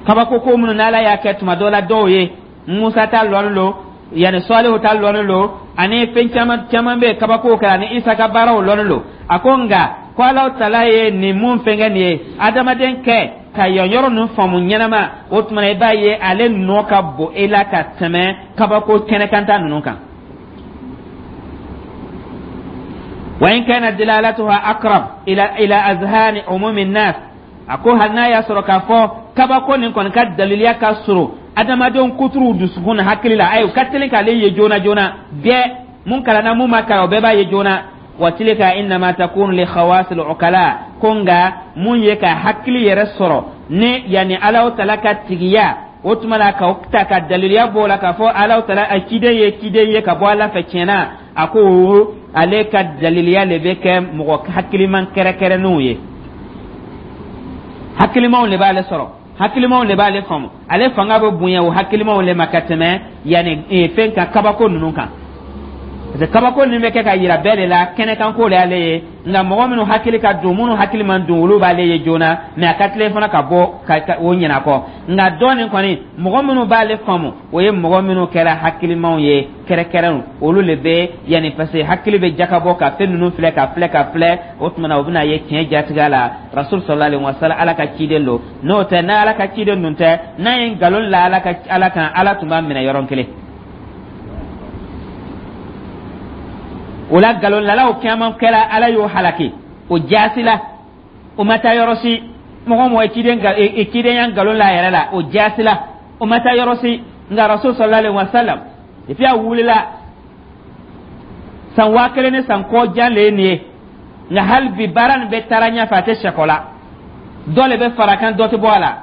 kabako ko minnu n'Ala y'a kɛ tuma dɔ la dɔw ye. Musa ta lɔnni lo, yani Salihu ta lɔnni lo, ani fɛn caman caman bɛ kabako kɛ, ani Isa ka baaraw lɔnni lo. A ko nka ko Alahu Taala ye nin mun fɛnkɛ nin ye adamaden kɛ ka yan yɔrɔ ninnu faamu ɲɛnama, o tuma na i b'a ye ale nɔ ka bon e la ka tɛmɛ kabako kɛnɛkanta ninnu kan. Wa in kana dilalatuha aqrab ila azhani umumi nas, a ko hali n'a y'a sɔrɔ k'a fɔ kabako nin kɔni ka daliliya ka surun adamadenw kuturuw dusukun na hakili la, ayi, u ka teli k'ale ye joona joona, bɛɛ mun kalanna mun ma kalan o bɛɛ b'a ye joona. Wa tilka innama takunu li khawasil ukala, ko nka mun ye ka hakili yɛrɛ sɔrɔ ni yani Alahu Taala ka tigiya, o tuma la ka ta ka daliliya b'o la k'a fɔ Alahu Taala a ciden ye ciden ye ka bɔ Ala fɛ tiɲɛ na, a ko ale ka daliliya le bɛ kɛ mɔgɔ hakiliman kɛrɛkɛrɛnnenw ye. Hakilimaw le b'ale sɔrɔ, hakilimaw le b'ale faamu, ale fanga bɛ bonya o hakilimaw le ma ka tɛmɛ yanni fɛn kan, kabako ninnu kan, parce que kabako ninnu bɛ kɛ ka yira bɛɛ de la, kɛnɛkanko de y'ale ye. Nka mɔgɔ minnu hakili ka dun, minnu hakili man dun, olu b'ale ye joona, mais a ka tilen fana ka bɔ ka o ɲinɛ kɔ. Nka dɔ nin kɔni, mɔgɔ minnu b'ale faamu, o ye mɔgɔ minnu kɛra hakilimaw ye kɛrɛkɛrɛnw, olu le bɛ yanni, parce que hakili bɛ jakabɔ ka fɛn ninnu filɛ ka filɛ ka filɛ, o tuma na o bɛna ye tiɲɛ jatigɛ la Rasul sallallahu alaihi wasallam Ala ka ciden don. N'o tɛ, n'a Ala ka ciden dun tɛ, n'a ye nkalon la Ala ka Ala kan, Ala tun b'a minɛ yɔrɔ kelen. O la nkalonlalaw caman kɛra, Ala y'o halaki o jaasi la, o ma taa yɔrɔ si. Mɔgɔ mɔgɔ ye cidenya nkalon la a yɛrɛ la, o jaasi la, o ma taa yɔrɔ si. Nka Rasul sallallahu alaihi wasallam, depuis a wulila san 1000 ni san kɔ jan le ye nin ye, nka hali bi baara nin bɛ taara ɲɛfɛ, a tɛ sɛkɔ la, dɔ le bɛ fara kan, dɔ tɛ bɔ a la.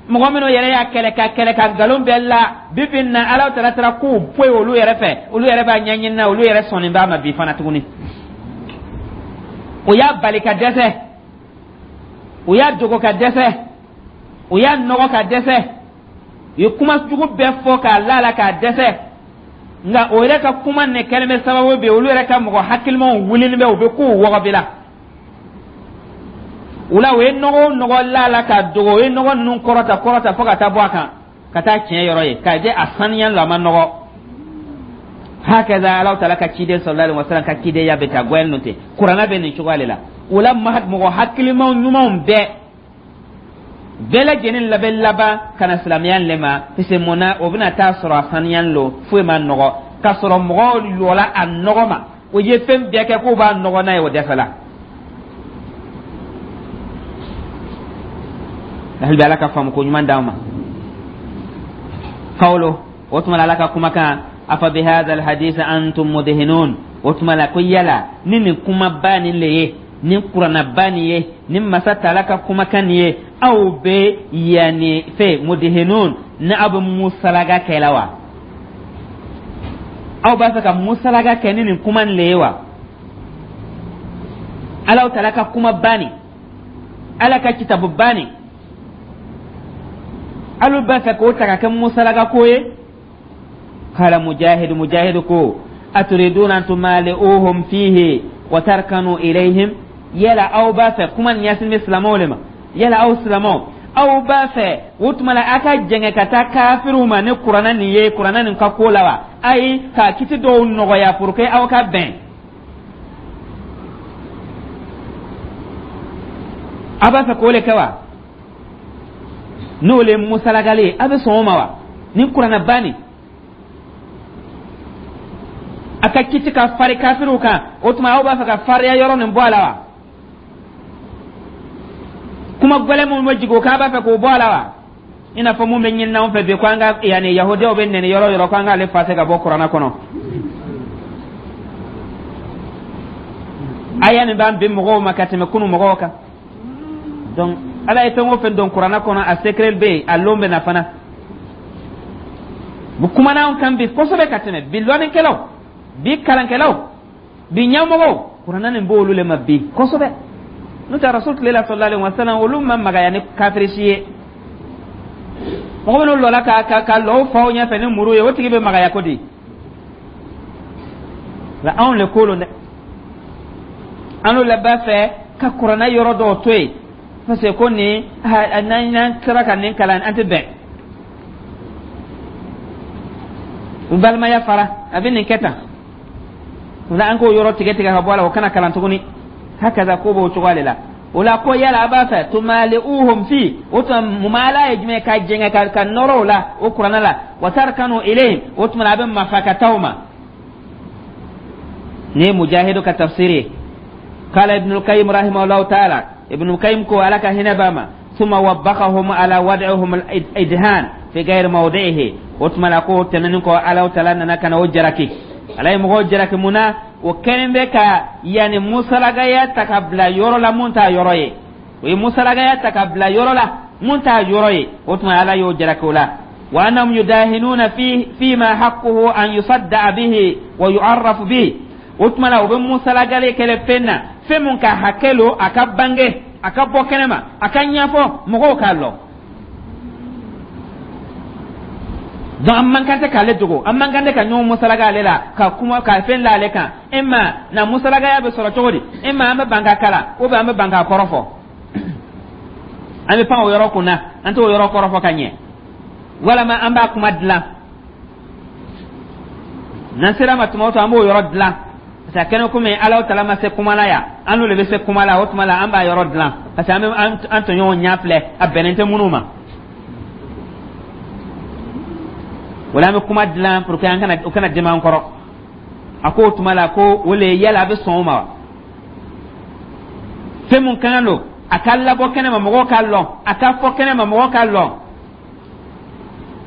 Mɔgɔ minnu yɛrɛ y'a kɛlɛ ka kɛlɛ ka nkalon bɛɛ la, bi bi in na Ala taara taara kow bɔ yen olu yɛrɛ fɛ, olu yɛrɛ b'a ɲɛɲini na, olu yɛrɛ sɔnni b'a ma bi fana tuguni. O y'a bali ka dɛsɛ, o y'a dogo ka dɛsɛ, o y'a nɔgɔ ka dɛsɛ, u ye kuma jugu bɛɛ fɔ k'a la la k'a dɛsɛ. Nka o yɛrɛ ka kuma nin kɛlen bɛ sababu bi olu yɛrɛ ka mɔgɔ hakilimaw wulilen bɛ, u bɛ kow wɔgɔbila la. O la o ye nɔgɔ o nɔgɔ la la k'a dogo, o ye nɔgɔ ninnu kɔrɔta kɔrɔta fo ka taa bɔ a kan, ka taa tiɲɛ yɔrɔ ye k'a jɛ a saniya la, a ma nɔgɔ. Hakaza Ala taala ka ciden sallallahu alaihi wasallam ka cidenya bɛ taa gwɛn ten, kuranɛ bɛ nin cogoya de la. O la mɔgɔ hakilimaw ɲumanw bɛɛ lajɛlen labɛn laban ka na silamɛya le ma, parce que mun na o bɛna taa sɔrɔ a saniya lo, foyi ma nɔgɔ, k'a sɔrɔ mɔgɔw lɔla a nɔgɔ ma, o ye fɛn bɛɛ kɛ k'o b'a nɔgɔ n'a ye, o dɛsɛla. Hali bi Ala ka faamu ko ɲuman d'an ma. Kawlo o tuma la Ala ka kumakan afa bi hadha alhadith antum mudhinun, o tuma la ko yala ni nin kumaba nin le ye, nin kuranaba nin ye, nin masa taala ka kumakan nin ye, aw bɛ yanni fɛ mudhinun, ni aw bɛ musalaga kɛ la wa? Aw b'a fɛ ka musalaga kɛ ni nin kuma nin le ye wa? Ala taala ka kumaba nin, Ala ka kitabuba nin, alu b'a fɛ k'o ta ka kɛ musalaga ko ye? Kala Mujahidu, Mujahidu ko aturiduna an tumali'uhum fihi wa tarkanu ilayhim, yala aw b'a fɛ, kuma nin ɲɛsin bɛ silamɛw le ma, yala aw silamɛw aw b'a fɛ o tuma la a ka jɛngɛ ka taa kafiriw ma ni kuranɛ nin ye, kuranɛ nin ka ko la wa? Ayi, ka kiti dɔw nɔgɔya pour que aw ka bɛn, aw b'a fɛ k'o le kɛ wa? N'o le musalagali ye, a bɛ sɔn o ma wa? Ni kuranɛba nin a ka kiti ka fari kafiriw kan, o tuma aw b'a fɛ ka fariya yɔrɔ nin bɔ a la wa? Kuma gɛlɛn minnu bɛ jigin o kan, a b'a fɛ k'o bɔ a la wa? I n'a fɔ mun bɛ ɲini anw fɛ bi ko an ka yanni yahudiyaw bɛ nɛni yɔrɔ yɔrɔ ko an k'ale fase ka bɔ kuranɛ kɔnɔ. Aya nin b'an bi mɔgɔw ma ka tɛmɛ kunu mɔgɔw kan. Donc Ala ye fɛn o fɛn don Kuranna kɔnɔ, a secret bɛ yen, a lon bɛ na fana. Bu kumana anw kan bi kosɛbɛ ka tɛmɛ bi lɔnnikɛlaw, bi kalankɛlaw, bi ɲɛmɔgɔw. Kuranna nin b'olu le ma bi kosɛbɛ. N'o tɛ, Rasul tile la, sallallahu alaihi wasallam, olu ma magaya ni kafiri si ye. Mɔgɔ minnu lɔla ka lɔ o faw ɲɛfɛ ni muru ye, o tigi bɛ magaya ko di? Nka anw le ko lon dɛ, an le b'a fɛ ka Kuranna yɔrɔ dɔw to yen, parce que ko nin, n'an sera ka nin kalan, an tɛ bɛn u balimaya fara, a bɛ nin kɛ tan. O la, an k'o yɔrɔ tigɛ tigɛ ka bɔ a la, o kana kalan tuguni. Hakaza, ko b'o cogoya de la. O la, ko yala a b'a fɛ tumali'uhum fi, o tuma mumala ye jumɛn? Ka jɛngɛ ka nɔrɔ o la, o Kuranna la. Wa tarkanu ilayhim, o tuma a bɛ mafa ka taa o ma. Ni ye Mujahidu ka tafsiri ye. Qala Ibn al-Qayyim rahimahullahu ta'ala, Ibn al-Qayyim ko, Ala ka hinɛ b'a ma, summa wabbaqahum ala wad'ihim al-idhan fi ghayri mawdi'ihi. O tuma la, ko tɛmɛnen kɔ, Ala taala nana ka na o jaraki. Ala ye mɔgɔw jaraki mun na? O kɛlen bɛ ka yanni musalagaya ta ka bila yɔrɔ la mun t'a yɔrɔ ye. O ye musalagaya ta ka bila yɔrɔ la mun t'a yɔrɔ ye. O tuma Ala y'o jaraki o la. Wa annahum yudahinuna fi fima haqquhu an yusadda'a bihi wa yu'arrafu bihi. O tuma la, o bɛ musalagale kɛlɛ fɛn na, fɛn mun ka hakɛ lo a ka bange, a ka bɔ kɛnɛ ma, a ka ɲɛfɔ mɔgɔw k'a lɔn. Donc an man kan tɛ k'ale dogo, an man kan tɛ ka ɲɔgɔn musalaga ale la, ka kuma ka fɛn la ale kan. E ma na musalagaya bɛ sɔrɔ cogo di? E ma an bɛ ban ka kalan, ou bien an bɛ ban k'a kɔrɔ fɔ, an bɛ pan o yɔrɔ kun na, an t'o yɔrɔ kɔrɔ fɔ ka ɲɛ, walama an b'a kuma dilan. N'an sera ma tuma o tuma, an b'o yɔrɔ dilan, parce que a kɛnɛ komi Ala tala ma se kuma la yan, an n'o de bɛ se kuma la. O tuma la, an b'a yɔrɔ dilan, parce que an bɛ an tɔɲɔgɔnw ɲɛ filɛ, a bɛnnen tɛ minnu ma. Wala an bɛ kuma dilan pour que an kana o kana dɛmɛ an kɔrɔ. A ko o tuma la, ko o le yala a bɛ sɔn o ma wa? Fɛn mun ka kan don a ka labɔ kɛnɛ ma, mɔgɔw k'a lɔn, a ka fɔ kɛnɛ ma, mɔgɔw k'a lɔn.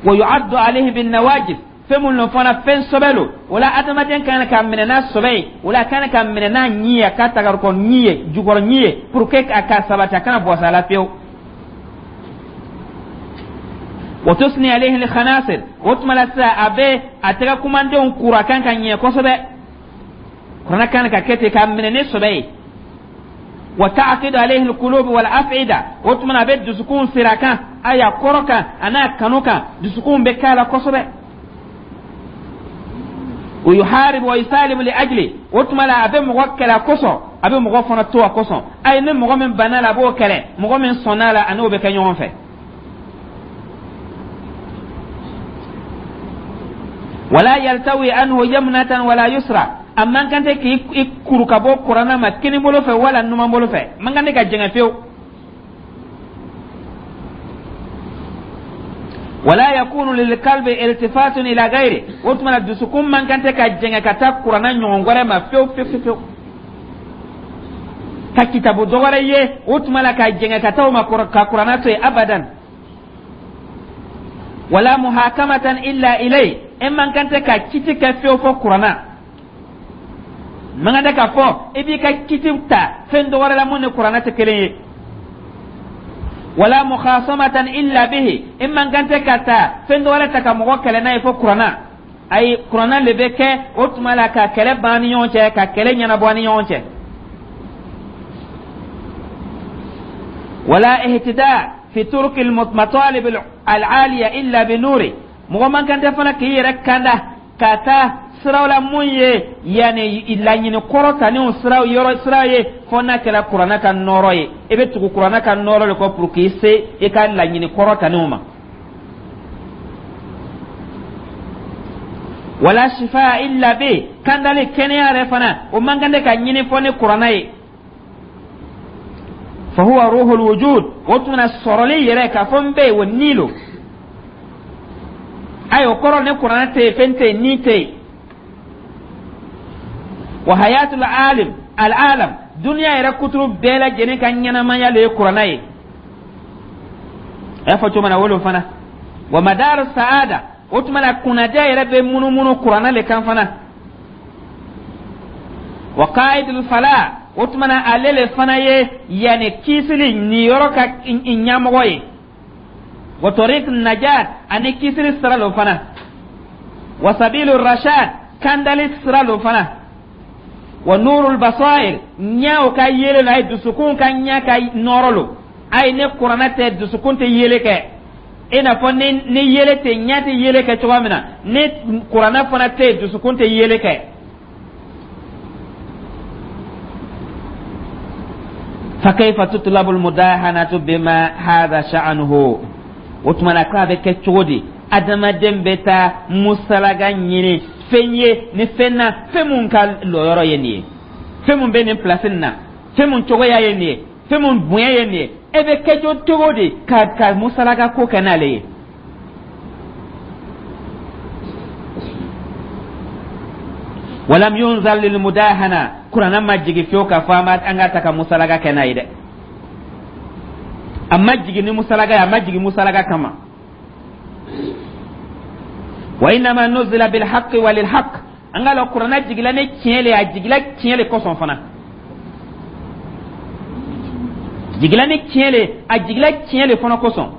Wa yu'addu alayhi bin nawajib, fɛn mun lo fana, fɛn sɔbɛ lo. O la, adamaden kan ka minɛ n'a sɔbɛ ye, o la a kan ka minɛ n'a ɲi ye, a ka tagarikɔ ɲi ye, jukɔrɔ ɲi ye, pour que a ka sabati, a kana bɔs'a la fiyewu. Wa tusni alayhi al-khanasir, o tuma la sisan, a bɛ a tɛgɛ kumandenw kura kan ka ɲɛ kosɛbɛ. Kuranɛ kan ka kɛ ten, k'a minɛ ni sɔbɛ ye. Wa ta'qidu alayhi al-qulub wal af'ida, o tuma na a bɛ dusukun sira kan, a y'a kɔrɔ kan, a n'a kanu kan, dusukun bɛ k'a la kosɛbɛ. Wa yuharibu wa yusalimu li ajli, o tuma la a bɛ mɔgɔ kɛlɛ a kosɔn, a bɛ mɔgɔ fana to a kosɔn. Ayi, ni mɔgɔ min banna la, a b'o kɛlɛ, mɔgɔ min sɔnna la, a n'o bɛ kɛ ɲɔgɔn fɛ. Wala yaltawi anhu yamnatan wala yusra, a man kan tɛ k'i kuru ka bɔ Kuranna ma kini bolo fɛ wala numan bolo fɛ, man kan tɛ ka jɛngɛ fiyewu. Wala yakunu lilqalbi iltifatun ila ghairi, o tuma na dusukun man kan tɛ ka jɛngɛ ka taa Kuranna ɲɔgɔn wɛrɛ ma fiyewu fiyewu fiyewu, ka kitabu dɔ wɛrɛ ye, o tuma la ka jɛngɛ ka taa o ma ka Kuranna to yen, abadan. Wala muhakamatan illa ilay, e man kan tɛ ka kiti kɛ fiyewu fɔ Kuranna. Man kan tɛ ka fɔ i b'i ka kiti ta fɛn dɔ wɛrɛ la mun ni Kuranna tɛ kelen ye. Wala mukhasamatan illa bihi, e man kan tɛ ka taa fɛn dɔ wɛrɛ ta ka mɔgɔ kɛlɛ n'a ye fɔ Kuranna. Ayi, Kuranna le bɛ kɛ o tuma la ka kɛlɛ ban ni ɲɔgɔn cɛ, ka kɛlɛ ɲɛnabɔ ni ɲɔgɔn cɛ. Wala ihtida fi turuq al matalib al aliya illa bi nuri, mɔgɔ man kan tɛ fana k'i yɛrɛ kanda ka taa siraw la mun ye yanni laɲini kɔrɔtaninw siraw yɔrɔ sira ye, fo n'a kɛra Kuranna ka nɔɔrɔ ye. I bɛ tugu Kuranna ka nɔɔrɔ de kɔ pour k'i se i ka laɲini kɔrɔtaninw ma. Wala shifa illa bi, kandali kɛnɛya yɛrɛ fana, o man kan tɛ ka ɲini fɔ ni Kuranna ye. Fa huwa ruhul wujud, o tuma na sɔrɔli yɛrɛ k'a fɔ n bɛ yen, o ni lo. Ayi, o kɔrɔ ni Kuranɛ tɛ yen, fɛn tɛ yen, ni tɛ yen. Wa hayatul alim al alam, duniya yɛrɛ kuturu bɛɛ lajɛlen ka ɲɛnamaya le ye Kuranɛ ye. A y'a fɔ cogo min na, o lo fana. Wa madar saada, o tuma na kunnadiya yɛrɛ bɛ munumunu Kuranɛ le kan fana. Wa qaidul fala, O tuma na ale le fana ye yanni kisili niyɔrɔ ka ɲɛmɔgɔ ye, wa tariq najat, ani kisili sira lo fana, wa sabilu rashad, kandali sira lo fana, wa nurul basair, ɲɛw ka yele la, a ye dusukun ka ɲɛ ka nɔɔrɔ lo. A ye ne kuranɛ tɛ dusukun tɛ yele kɛ, i n'a fɔ ni yele tɛ, ɲɛ tɛ yele kɛ cogoya min na, ni kuranɛ fana tɛ, dusukun tɛ yele kɛ. Fakayfa tutlabu almudahanatu bima hadha sha'nuhu? O tuma na k'a bɛ kɛ cogo di adamaden bɛ taa musalaga ɲini fɛn ye ni fɛn na, fɛn mun ka lɔyɔrɔ ye nin ye, fɛn mun bɛ nin pilasi nin na, fɛn mun cogoya ye nin ye, fɛn mun bonya ye nin ye, e bɛ kɛ cogo di ka musalaga ko kɛ n'ale ye? Walam yunzal lil mudahana, kuranɛ ma jigi fiyewu k'a fɔ an ka ta ka musalaga kɛ n'a ye dɛ. A ma jigin ni musalaga ye, a ma jigin musalaga kama. Wa innama nuzila bil haqqi wa lil haqq, an ka lɔn kuranɛ jigila ni tiɲɛ le ye, a jigila tiɲɛ le kosɔn fana, jigila ni tiɲɛ le, a jigila tiɲɛ le fana kosɔn.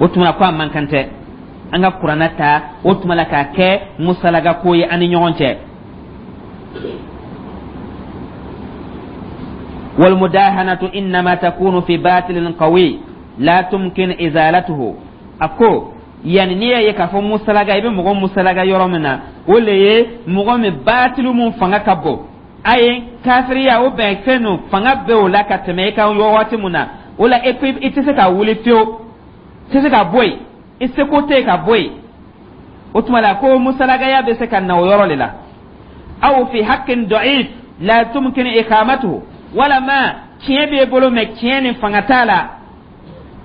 O tuma ko a man kan tɛ an ka kuranɛ ta o tuma la k'a kɛ musalaga ko ye an ni ɲɔgɔn cɛ. Walmudahanatu innama takunu fi batilin qawi la tumkin izalatuhu. A ko yanni n'i y'a ye k'a fɔ musalaga, i bɛ mɔgɔ musalaga yɔrɔ min na, o le ye mɔgɔ min batilu mun fanga ka bon a ye, kafiriya o bɛn fɛn ninnu fanga bɛ o la ka tɛmɛ i kan waati mun na, o la e ko i tɛ se ka wuli fiyewu, i tɛ se ka bɔ yen, i seko tɛ yen ka bɔ yen. O tuma la ko musalagaya bɛ se ka na o yɔrɔ de la. Aw fi haqqin da'if la tumkin iqamatuhu, walama tiɲɛ b'e bolo mɛ tiɲɛ nin fanga t'a la,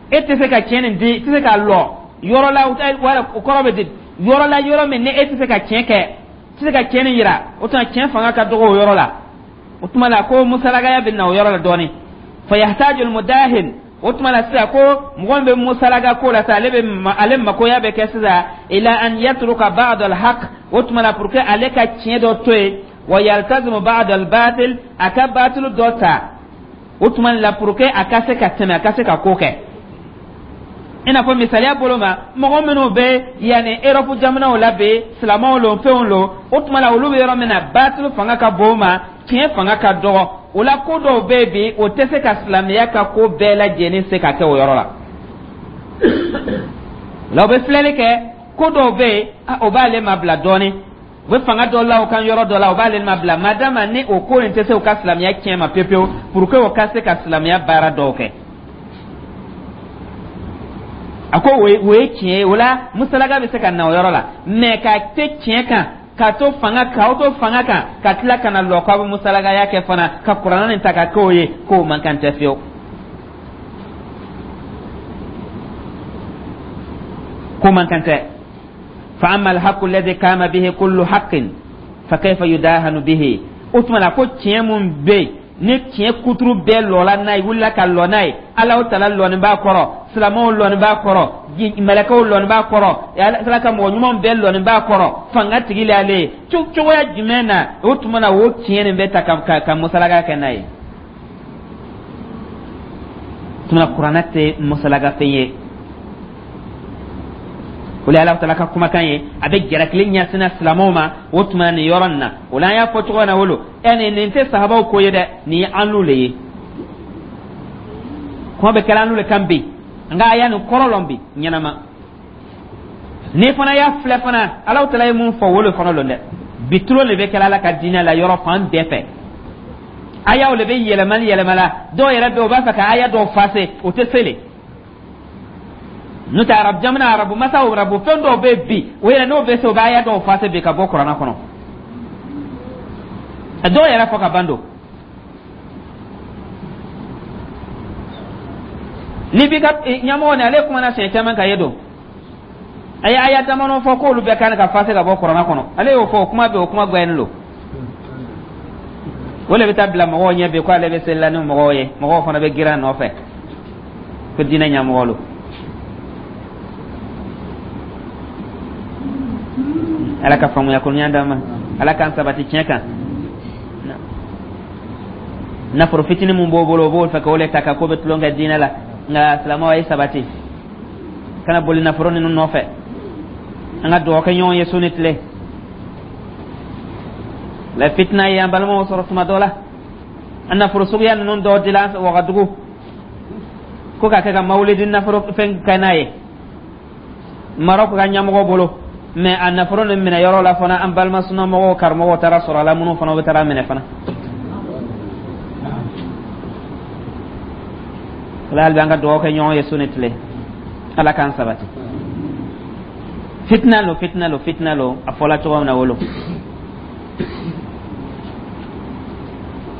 e tɛ se ka tiɲɛ nin di, i tɛ se ka lɔ yɔrɔ la, wala o kɔrɔ bɛ di yɔrɔ la, yɔrɔ min ni e tɛ se ka tiɲɛ kɛ, i tɛ se ka tiɲɛ nin yira, o tuma tiɲɛ fanga ka dɔgɔ o yɔrɔ la. O tuma la ko musalagaya bɛ na o yɔrɔ la dɔɔnin. Fa yahtaju almudahin, o tuma la sisan ko mɔgɔ min bɛ musalaga ko la sisan, ale bɛ ale makoya bɛ kɛ sisan ila an yatruka ba'd alhaq, o tuma la pour que ale ka tiɲɛ dɔ to yen, wa yaltazimu ba'd albatil, a ka batilu dɔ ta, o tuma la pour que a ka se ka tɛmɛ, a ka se ka ko kɛ. I n'a fɔ misaliya bolo ma, mɔgɔ minnu bɛ yanni Erɔpu jamanaw la bi, silamɛw lo, fɛnw lo, o tuma la olu bɛ yɔrɔ min na, batilu fanga ka bon o ma, tiɲɛ fanga ka dɔgɔ o la. Ko dɔw bɛ yen bi, o tɛ se ka silamɛya ka ko bɛɛ lajɛlen se ka kɛ o yɔrɔ la. O la u bɛ filɛli kɛ, ko dɔw bɛ yen, o b'ale mabila dɔɔnin, u bɛ fanga dɔ la o kan yɔrɔ dɔ la, o b'ale mabila, madama ni o ko in tɛ se u ka silamɛya tiɲɛ ma pewu pewu, pour que o ka se ka silamɛya baara dɔw kɛ. A ko o ye tiɲɛ ye, o la musalaga bɛ se ka na o yɔrɔ la, mɛ ka te tiɲɛ kan, ka to fanga k'aw to fanga kan, ka tila ka na lɔ k'aw bɛ musalagaya kɛ fana, ka kuranɛ nin ta ka k'o ye, k'o man kan tɛ fiyewu, k'o man kan tɛ. Fa amma alhaqu alladhi kama bihi kullu haqqin fa kayfa yudahanu bihi? O tuma la ko tiɲɛ mun bɛ yen ni tiɲɛ kuturu bɛɛ lɔla n'a ye, wulila ka lɔ n'a ye, Alahu taala lɔni b'a kɔrɔ, silamɛw lɔni b'a kɔrɔ, mɛlɛkɛw lɔni b'a kɔrɔ, Ala ka mɔgɔ ɲumanw bɛɛ lɔni b'a kɔrɔ, fanga tigi le ale ye, cogoya jumɛn na o tuma na o tiɲɛ nin bɛ ta ka musalaga kɛ n'a ye? Tuma kuranɛ tɛ musalaga fɛn ye. O le Ala taala ka kumakan ye, a bɛ jalakili ɲɛsinna silamɛw ma o tuma nin yɔrɔ nin na. O la an y'a fɔ cogo min na, wolo ɛ nin tɛ sahabaw ko ye dɛ, nin ye an le ye, kuma bɛ kɛla an le kan bi, nka a y'a nin kɔrɔ lɔn bi ɲɛnama. N'i fana y'a filɛ fana, Ala taala ye mun fɔ, o le fana lɔn dɛ. Bi tulon de bɛ kɛla Ala ka diinɛ la yɔrɔ fan bɛɛ fɛ, ayaw le bɛ yɛlɛmali yɛlɛma la, dɔw yɛrɛ bɛ yen, u b'a fɛ ka aya dɔw fase, o tɛ se le. N'o tɛ arabu jamana, arabu masaw, arabu fɛn dɔw bɛ bi, o yɛrɛ n'o bɛ se, o bɛ aya dɔw fase bi ka bɔ kuranɛ kɔnɔ, a dɔw yɛrɛ fɔ ka ban don. Libi ka ɲɛmɔgɔ ni ale kumana siɲɛ caman ka ye don, a ye aya damadɔ fɔ k'olu bɛɛ kan ka fase ka bɔ kuranɛ kɔnɔ, ale y'o fɔ, o kuma bɛ, o kuma gbɛnnen don. O le bɛ taa bila mɔgɔw ɲɛ bi ko ale bɛ seli la ni mɔgɔw ye, mɔgɔw fana bɛ girin a nɔfɛ ko diinɛ ɲɛmɔgɔ lo. Ala ka faamuya ko ɲuman d'an ma, Ala k'an sabati tiɲɛ kan. Nafolo fitinin mun b'o bolo, o b'o fɛ k'o le ta ka ko bɛ tulon kɛ diinɛ la. Nka silamɛw, a ye sabati, kana boli nafolo ninnu nɔfɛ. An ka dugawu kɛ ɲɔgɔn ye su ni tile la. Fitina ye an balimaw sɔrɔ tuma dɔ la, an nafolo suguya ninnu dɔw dila Wagadugu ko ka kɛ ka mawulidi nafolo fɛn kɛ n'a ye Marɔku ka ɲɛmɔgɔ bolo. Mɛ a nafolo nin minɛ yɔrɔ la fana, an balima sunamɔgɔw karamɔgɔw taara sɔrɔ a la, minnu fana bɛ taara minɛ fana. Ala, hali bi an ka dugawu kɛ ɲɔgɔn ye su ni tile, Ala k'an sabati. Fitina lo, fitina lo, fitina lo. A fɔla cogo min na, wolo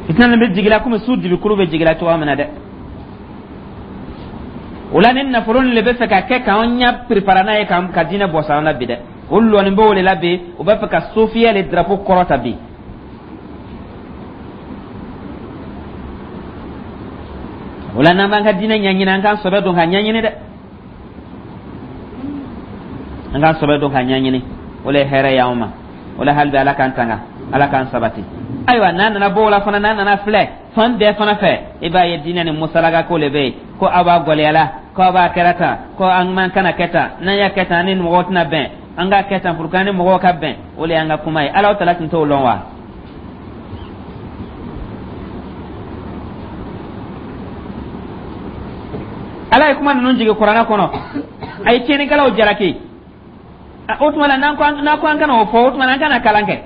fitina nin bɛ jigila komi su dibikuru bɛ jigila cogo min na dɛ. O la, ni nafolo nin le bɛ fɛ ka kɛ k'an ɲɛ piripara n'a ye ka diinɛ bɔ sa an na bi dɛ. O lɔnin b'o de la bi, o b'a fɛ ka sofiya le drapeau kɔrɔta bi. O la, n'an b'an ka diinɛ ɲɛɲini, an k'an sɔbɛ don ka ɲɛɲini dɛ, an k'an sɔbɛ don ka ɲɛɲini. O le ye hɛrɛ y'anw ma. O la, hali bi Ala k'an tanga, Ala k'an sabati. Ayiwa, n'a nana bɔ o la fana, n'a nana filɛ fan bɛɛ fana fɛ, i b'a ye diinɛ ni musalaka ko le bɛ yen, ko aw b'a gɔlɛya la, ko aw b'a kɛra tan, ko an man kana kɛ tan, n'an y'a kɛ tan, ni mɔgɔw tɛna bɛn, an k'a kɛ tan pour que an ni mɔgɔw ka bɛn. O le y'an ka kuma ye. Ala tala tun t'o lɔn wa? Ala ye kuma ninnu jigin Kuranɛ kɔnɔ, a ye tiɲɛnikɛlaw jalaki. O tuma la, n'an ko an kana o fɔ, o tuma la an kana kalan kɛ.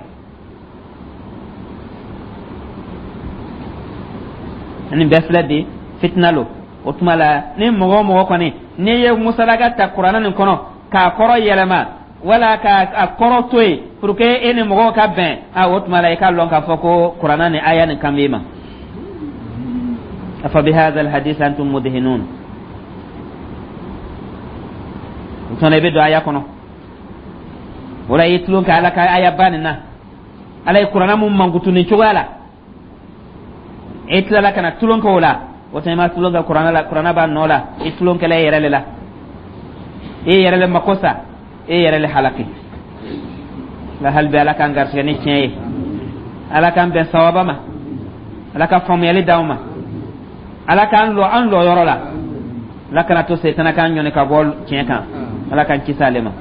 Nin bɛɛ filɛ bi, fitina lo. O tuma la, ni mɔgɔ o mɔgɔ kɔni n'i ye musalaka ta Kuranɛ nin kɔnɔ k'a kɔrɔ yɛlɛma wala k'a kɔrɔ to yen pour que e ni mɔgɔw ka bɛn, a o tuma la i k'a lɔn k'a fɔ ko Kuranɛ ni aya nin kan b'i ma. Afa bihadha alhadith antum mudhinun. O tuma la, i bɛ don aya kɔnɔ. O la, i ye tulon kɛ Ala ka aya ba nin na. Ala ye Kuranɛ mun mankutu nin cogoya la, e tilala ka na tulon kɛ o la. O tuma, i ma tulon kɛ Kuranɛ la, Kuranɛ b'a nɔ la. I tulon kɛla e yɛrɛ le la, e yɛrɛ le mako sa, e yɛrɛ le halaki la. Hali bi, Ala k'an garisɛgɛ ni tiɲɛ ye, Ala k'an bɛn sawaba ma, Ala ka faamuyali d'anw ma, Ala k'an lɔ an lɔ yɔrɔ la. Ala kana to setana k'an ɲɔni ka bɔ tiɲɛ kan. Ala k'an kisi ale ma.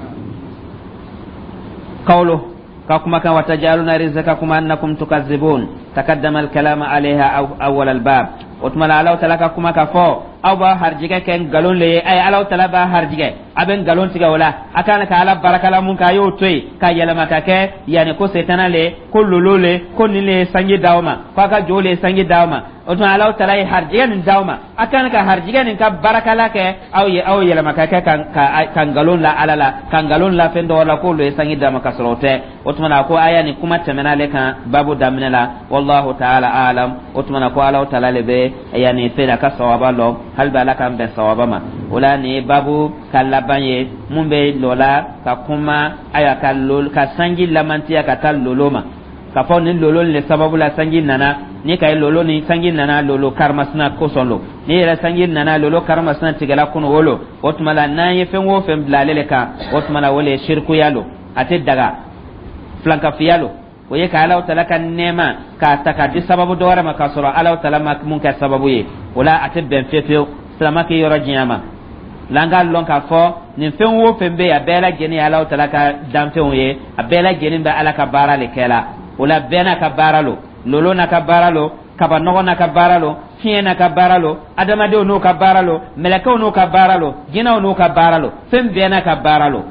Kawlo ka kumakan: watajaluna rizqakum annakum tukazibun. Takaddama alkalama alayha awwal albab. O tuma la, Alaw tala ka kuma ka fɔ aw b'a harijigɛ kɛ nkalon le ye. Ayi, Alaw tala b'a harijigɛ, a bɛ nkalon tigɛ o la. A kan ka Ala barakala mun kɛ, a y'o to yen ka yɛlɛma ka kɛ yanni ko setana le, ko lolo le, ko nin le ye sanji d'aw ma, ko a ka jo le ye sanji d'aw ma. O tuma, Alaw tala ye harijigɛ nin d'aw ma, a kan ka harijigɛ nin ka barakala kɛ aw ye, aw yɛlɛma ka kɛ ka nkalon la Ala la, ka nkalon la fɛn dɔw la k'olu ye sanji d'a ma ka sɔrɔ o tɛ. O tuma na, ko aya nin kuma tɛmɛna ale kan babu daminɛ la. Wallahu taala alam. O tuma na, ko Alaw tala le bɛ yanni fɛn a ka sawaba lɔ. Hali bi, Ala k'an bɛn sawaba ma. O la, nin ye babu ka laban ye mun bɛ lɔ la ka kuma, ayiwa, ka lolo, ka sanji lamantiya ka taa lolo ma, k'a fɔ ni lolo le sababu la sanji nana. Ni ka ye lolo ni sanji nana, lolo karimasina kosɔn lo. Ni yɛrɛ sanji nana, lolo karimasina tigɛla kɔnɔ o lo. O tuma la, n'an ye fɛn o fɛn bila ale le kan, o tuma la o le ye sirikuya lo, a tɛ daga, filankafiya lo. O ye ka Alaw tala ka nɛɛma k'a ta k'a di sababu dɔ wɛrɛ ma k'a sɔrɔ Alaw tala ma mun kɛ sababu ye. O la, a tɛ bɛn fiyewu fiyewu silama k'i yɔrɔ janya ma la. An k'a lɔn k'a fɔ nin fɛn o fɛn bɛ yen, a bɛɛ lajɛlen ye Alaw tala ka danfɛnw ye, a bɛɛ lajɛlen bɛ Ala ka baara le kɛ la. O la, bɛɛ n'a ka baara lo. Lolo n'a ka baara lo, kabanɔgɔ n'a ka baara lo, fiɲɛ n'a ka baara lo, adamadenw n'u ka baara lo, mɛlɛkɛw n'u ka baara lo, jinɛw n'u ka baara lo, fɛn bɛɛ n'a ka baara lo.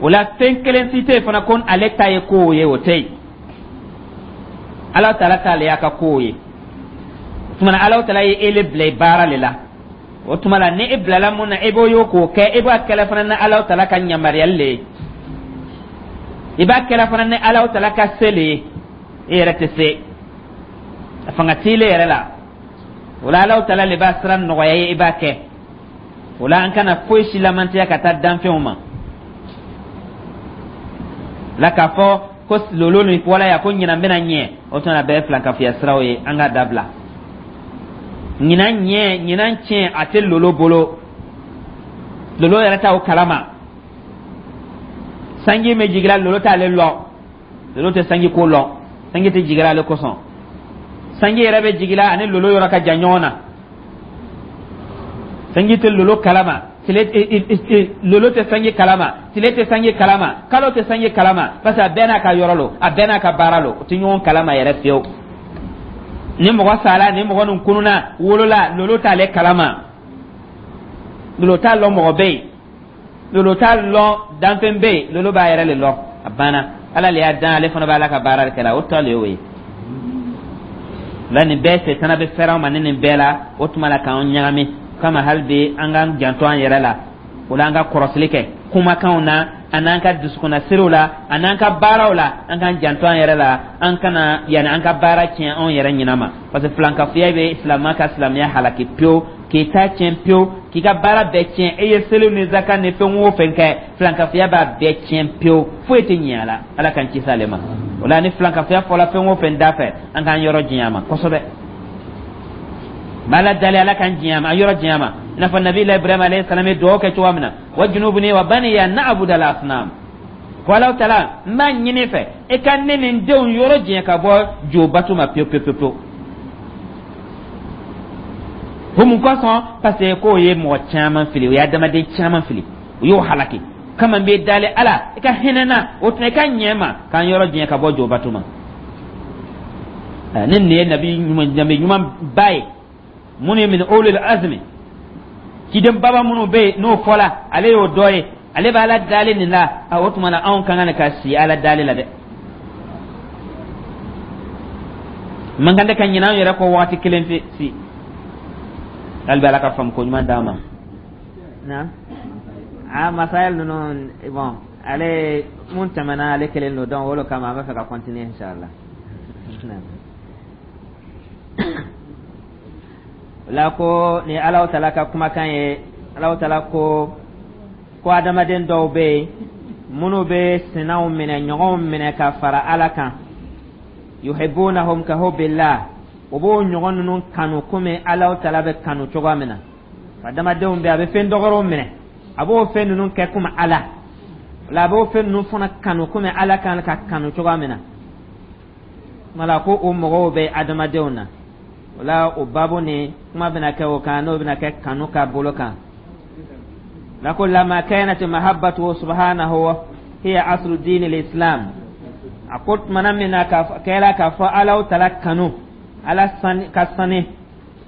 O la, fɛn kelen si tɛ yen fana ko ale ta ye kow ye, o tɛ yen. Ala tala t'ale y'a ka kow ye. O tuma na, Ala tala ye e le bila baara le la. O tuma la, ni e bilala mun na, e b'o ye k'o kɛ. E b'a kɛlɛ fana ni Ala tala ka yamaruyali le ye, i b'a kɛlɛ fana ni Ala tala ka se le ye. E yɛrɛ tɛ se, a fanga t'i le yɛrɛ la. O la, Ala tala le b'a sira nɔgɔya ye, i b'a kɛ. O la, an kana foyi si lamantiya ka taa danfɛnw ma la k'a fɔ ko lolo nin bɔla yan ko ɲinan bɛna ɲɛ. O tuma na, bɛɛ ye filankafiya siraw ye, an k'a dabila. Ɲinan ɲɛ, ɲinan tiɲɛ, a tɛ lolo bolo, lolo yɛrɛ t'o kalama. Sanji bɛ jigira, lolo t'ale lɔ, lolo tɛ sanji ko lɔ, sanji tɛ jigira ale kosɔn. Sanji yɛrɛ bɛ jigila, ani lolo yɔrɔ ka jan ɲɔgɔn na. Sanji tɛ lolo kalama, tile lolo tɛ sanji kalama, tile tɛ sanji kalama, kalo tɛ sanji kalama, parce que a bɛɛ n'a ka yɔrɔ lo, a bɛɛ n'a ka baara lo. O tɛ ɲɔgɔn kalama yɛrɛ fiyewu. Ni mɔgɔ sala, ni mɔgɔ nin kununa wolola, lolo t'ale kalama, lolo t'a lɔn mɔgɔ bɛ yen, lolo t'a lɔn danfɛn bɛ yen. Lolo b'a yɛrɛ le lɔn, a banna. Ala le y'a dan, ale fana b'a la ka baara kɛ la, o tɔ le y'o ye la. Nin bɛɛ, setana bɛ fɛrɛ an ma ni nin bɛɛ la. O tuma la, k'an ɲagami kama, hali bi an k'an janto an yɛrɛ la. O la, an ka kɔrɔsili kɛ kumakanw na, a n'an ka dusukunnasiriw la, a n'an ka baaraw la. An k'an janto an yɛrɛ la, an kana yanni an ka baara tiɲɛ anw yɛrɛ ɲinɛ ma, parce que filankafoya bɛ silamɛ ka silamɛya halaki pewu, k'i ta tiɲɛ pewu, k'i ka baara bɛɛ tiɲɛ. E ye seliw ni zaka ni fɛn o fɛn kɛ, filankafoya b'a bɛɛ tiɲɛ pewu, foyi tɛ ɲɛ a la. Ala k'an kisi ale ma. O la, ni filankafoya fɔla fɛn o fɛn da fɛ, an k'an yɔrɔ janya a ma kosɛbɛ. B'Ala dali, Ala k'an janya ma, an yɔrɔ janya ma, i n'a fɔ Nabi Ibrahim alayhi salam ye dugawu kɛ cogoya min na: wajnubni wa baniya an na'buda al-asnam. Ko Ala taala, n b'a ɲini fɛ, e ka ne ni n denw yɔrɔ janya ka bɔ jo bato ma pewu pewu pewu. O mun kosɔn? Parce que k'o ye mɔgɔ caman fili, o ye adamaden caman fili, o y'o halaki kama. N bɛ dali Ala, i ka hinɛ na, o tuma i ka ɲɛ ma k'an yɔrɔ janya ka bɔ jo bato ma. Ni nin ye nabi ɲuman, nabi ɲuman ba ye, minnu ye min ulul azmi, ciden baba minnu bɛ yen, n'o fɔla, ale y'o dɔ ye, ale bɛ Ala dali nin la. A o tuma na, anw ka kan ka si Ala dali la dɛ. Man kan tɛ ka ɲinɛ an yɛrɛ kɔ waati kelen pe si. Hali bɛ Ala ka faamu ko ɲuman d'an ma. Na a masayɛl ninnu, bon, ale mun tɛmɛna, ale kelen don, donc o de kama an bɛ fɛ ka continuer, inshallah. La ko ni Alahu taala ka kumakan ye, Alahu taala ko adamaden dɔw bɛ yen minnu bɛ sinaw minɛ, ɲɔgɔnw minɛ ka fara Ala kan. Yuhibbunahum ka hubbillah, o b'o ɲɔgɔn ninnu kanu komi Alahu taala bɛ kanu cogoya min na. Adamadenw bɛ, a bɛ fɛn dɔgɔrɔw minɛ, a b'o fɛn ninnu kɛ komi Ala la, a b'o fɛn ninnu fana kanu komi Ala kan ka kanu cogoya min na. Wala ko o mɔgɔw bɛ adamadenw na. O la, o babu ni kuma bɛna kɛ o kan, n'o bɛna kɛ kanu ka bolo kan la. Ko lama kanat mahabbatu subhanahu hiya aslu din al-islam. A ko tumana min na ka kɛra k'a fɔ Alahu taala kanu, Ala ka sani,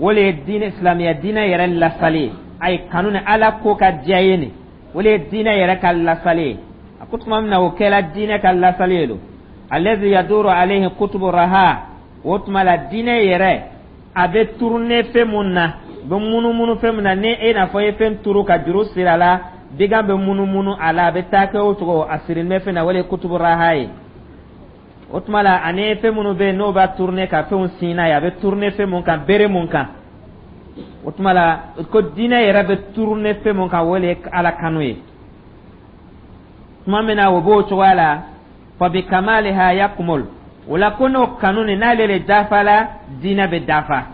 o le ye diinɛ silamɛya diinɛ yɛrɛ lasali ye. Ayi, kanu ni Ala ko ka diya ye nin, o le ye diinɛ yɛrɛ ka lasali ye. A ko tuma min na o kɛra diinɛ ka lasali ye don, allazi yaduru alayhi kutubu raha, o tuma la diinɛ yɛrɛ a bɛ tourner fɛn mun na, bɛ munumunu fɛn mun na, ni e n'a fɔ i ye fɛn turu ka juru siri a la, bigan bɛ munumunu a la, a bɛ taa kɛ o cogo, a sirilen bɛ fɛn na, o le ye kutubu raha ye. O tuma la, ani fɛn minnu bɛ yen n'o b'a tourner ka fɛnw sin n'a ye, a bɛ tourner fɛn mun kan, bere mun kan, o tuma la ko diinɛ yɛrɛ bɛ tourner fɛn mun kan, o le ye Ala kanu ye. Tuma min na o b'o cogoya la, fa bi kamaliha yakmul, o la ko n'o kanu nin n'ale le dafa la, diinɛ bɛ dafa.